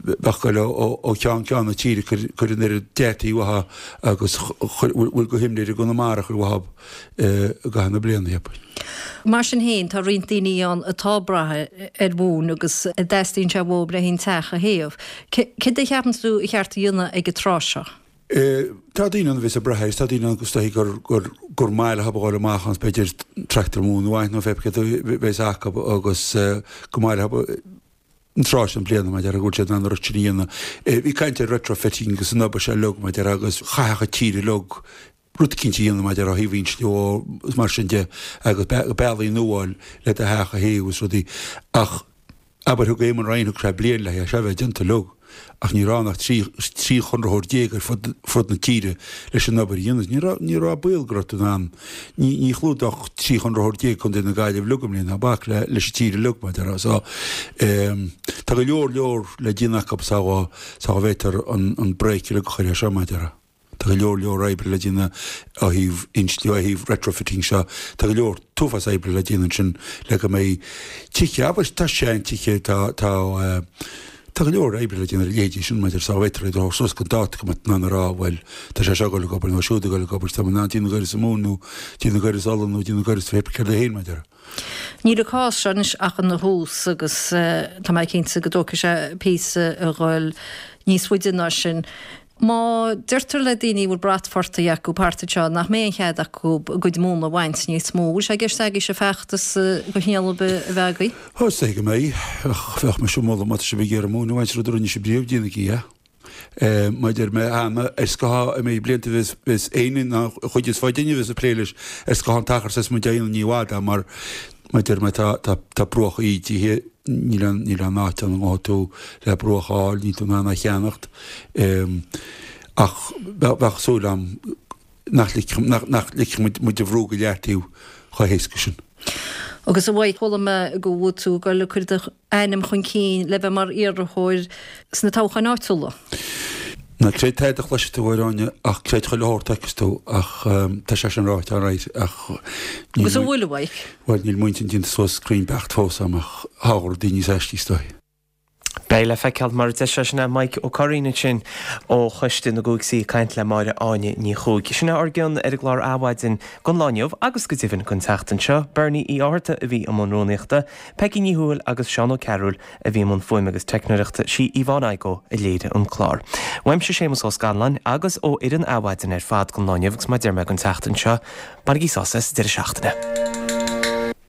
bheadh ag goil ó cheann ceann na tíre ag cur an oiread deataigh uathu agus bhfuil de shimléir i gConamara a chur uathu i gcaitheamh na bliana, cheapfainn. Mar sin féin, tá roinnt daoine ann atá ag brath ar mhóin agus a dteastaíonn sé uathu le haghaidh an teach a théamh. Céard a cheapann tú ba cheart a dhéanamh ag an tráth seo? Tá daoine ann a bheas ag brath air is tá daoine ann is dóichí gur, gur, gur maith leo a ghabháil amach ann b'fhéidir tractor móna a bhaint nó pé céard a bheas acu agus go maith leo an tráth sin bliana mar a déarfá go bhfuil siad in ann an rud sin a dhéanamh. Bhí caint ar retrofitting agus an obair seo uilig mar a déarfá agus chaithfeadh an tír uilig rud eicínt a dhéanamh mar a déarfá ó thaobh insliú is mar sin de agus bealaí nua a fháil le do theach a théamh agus rudaí ach Abair thug Eamon Ryan, thug sé bliain le é seo a bheith déanta uilig, ach ní raibh ann ach trí trí chonraitheoir déag ar fud fud na tíre leis an obair a dhéanamh. Ní raibh ní raibh baol go raibh tú in ann, ní ní chlúdódh trí chonraitheoir déag Contae na Gaillimhe uilig i mbliana, ná bac le leis an tír uilig mar a déarfá. So tá go leor leor le déanamh acu sá sá bhféadtar an an brake uilig a chur air seo mar a déarfá. Tá go leor leor oibre le déanamh ó thaobh insliú, ó thaobh retrofitting seo. Tá go leor t-uafás oibre le déanamh ansin le go mbeidh tithe, abair, tá seantithe, tá, tá, tá go leor oibre le déanamh ar a leithéidí sin maidir sá bhféadtar iad a thabhairt suas go dáta go mbeadh in ann a rá, bhuel, tá sé seo ag dul ag obair nó siúd ag dul ag obair, tá mé in ann daoine a gcuireas i Mumhain nó daoine a gcuireas Uladh nó daoine a gcuireas pé céard é féin, maidir. Níl an cás seo anois ach ina thús agus tá mé cinnte go dtógfaidh sé píosa a dhul níos faide ná sin. Má deirtear le daoine a bhfuil bratphortaigh acu thart anseo nach mbeidh aon chead acu a gcuid móna a bhaint níos mó, bhfuil sé i gceist agaibhse feachtas de chineál ar bith a bheith agaibh? Ó, is dóigh go mbeidh. Ach bheadh mise ag moladh má tá sibh ag iarraidh móin a bhaint, rud a rinne sibh riamh, déanaigí é. Mar a deir mé cheana, ar scáth i mbeidh blianta bheas bheas éinne ná an chuid is faide a bheas ag plé leis ar scáth an t-achar is muid á dhéanamh ní i bhfad é mar Mar a deir mé tá tá tá bruacha ídithe, níl aon níl aon áit ann a ngabhfaidh tú le bruach a fháil, níl tú in ann é a cheannacht. Ach bheadh bheadh súil agam nach ligfeadh nach nach ligfeadh muid muid a bhrú go leataobh chomh héasca sin. Agus a Mhaidhc, chuala mé go bhfuil tú ag dul ag cur do ainm chun cinn le bheith mar iarrthóir sna toghcháin áitiúla. Ná creid tada a chloisfidh tú, a Áine, ach creid chuile shórt a fheicfeas tú, ach tá sé sin ráite alright, ach níl Agus an bhfuil, a Mhaidhc? Bhuel, níl m'intinn déanta suas cruinn beacht fós agam, ach togha rudaí níos aistí is dóigh. Beidh le feiceáil mar a deir sé sin é Mike Ó Curraoin ansin ó Choiste na gCúig C ag caint le Máire Áine Ní Chuaig. Sin é ár gcion ar an gclár Adhmhaidin don lá inniu agus go deimhin don tseachtain seo. Bernie Uí Fhátharta a bhí i mbun rúnaíochta, Peggy Ní Thuathail agus Seán Ó Cearúil a bhí i mbun fuaime agus teicneoireachta, sí Yvonne Igoe a léirigh an clár. Uaimse Séamus Ó Scanláin agus ó fhoireann Adhmhaidin ar fad don lá inniu agus mar a deir mé don tseachtain seo, bainigí sásamh as an deireadh seachtaine.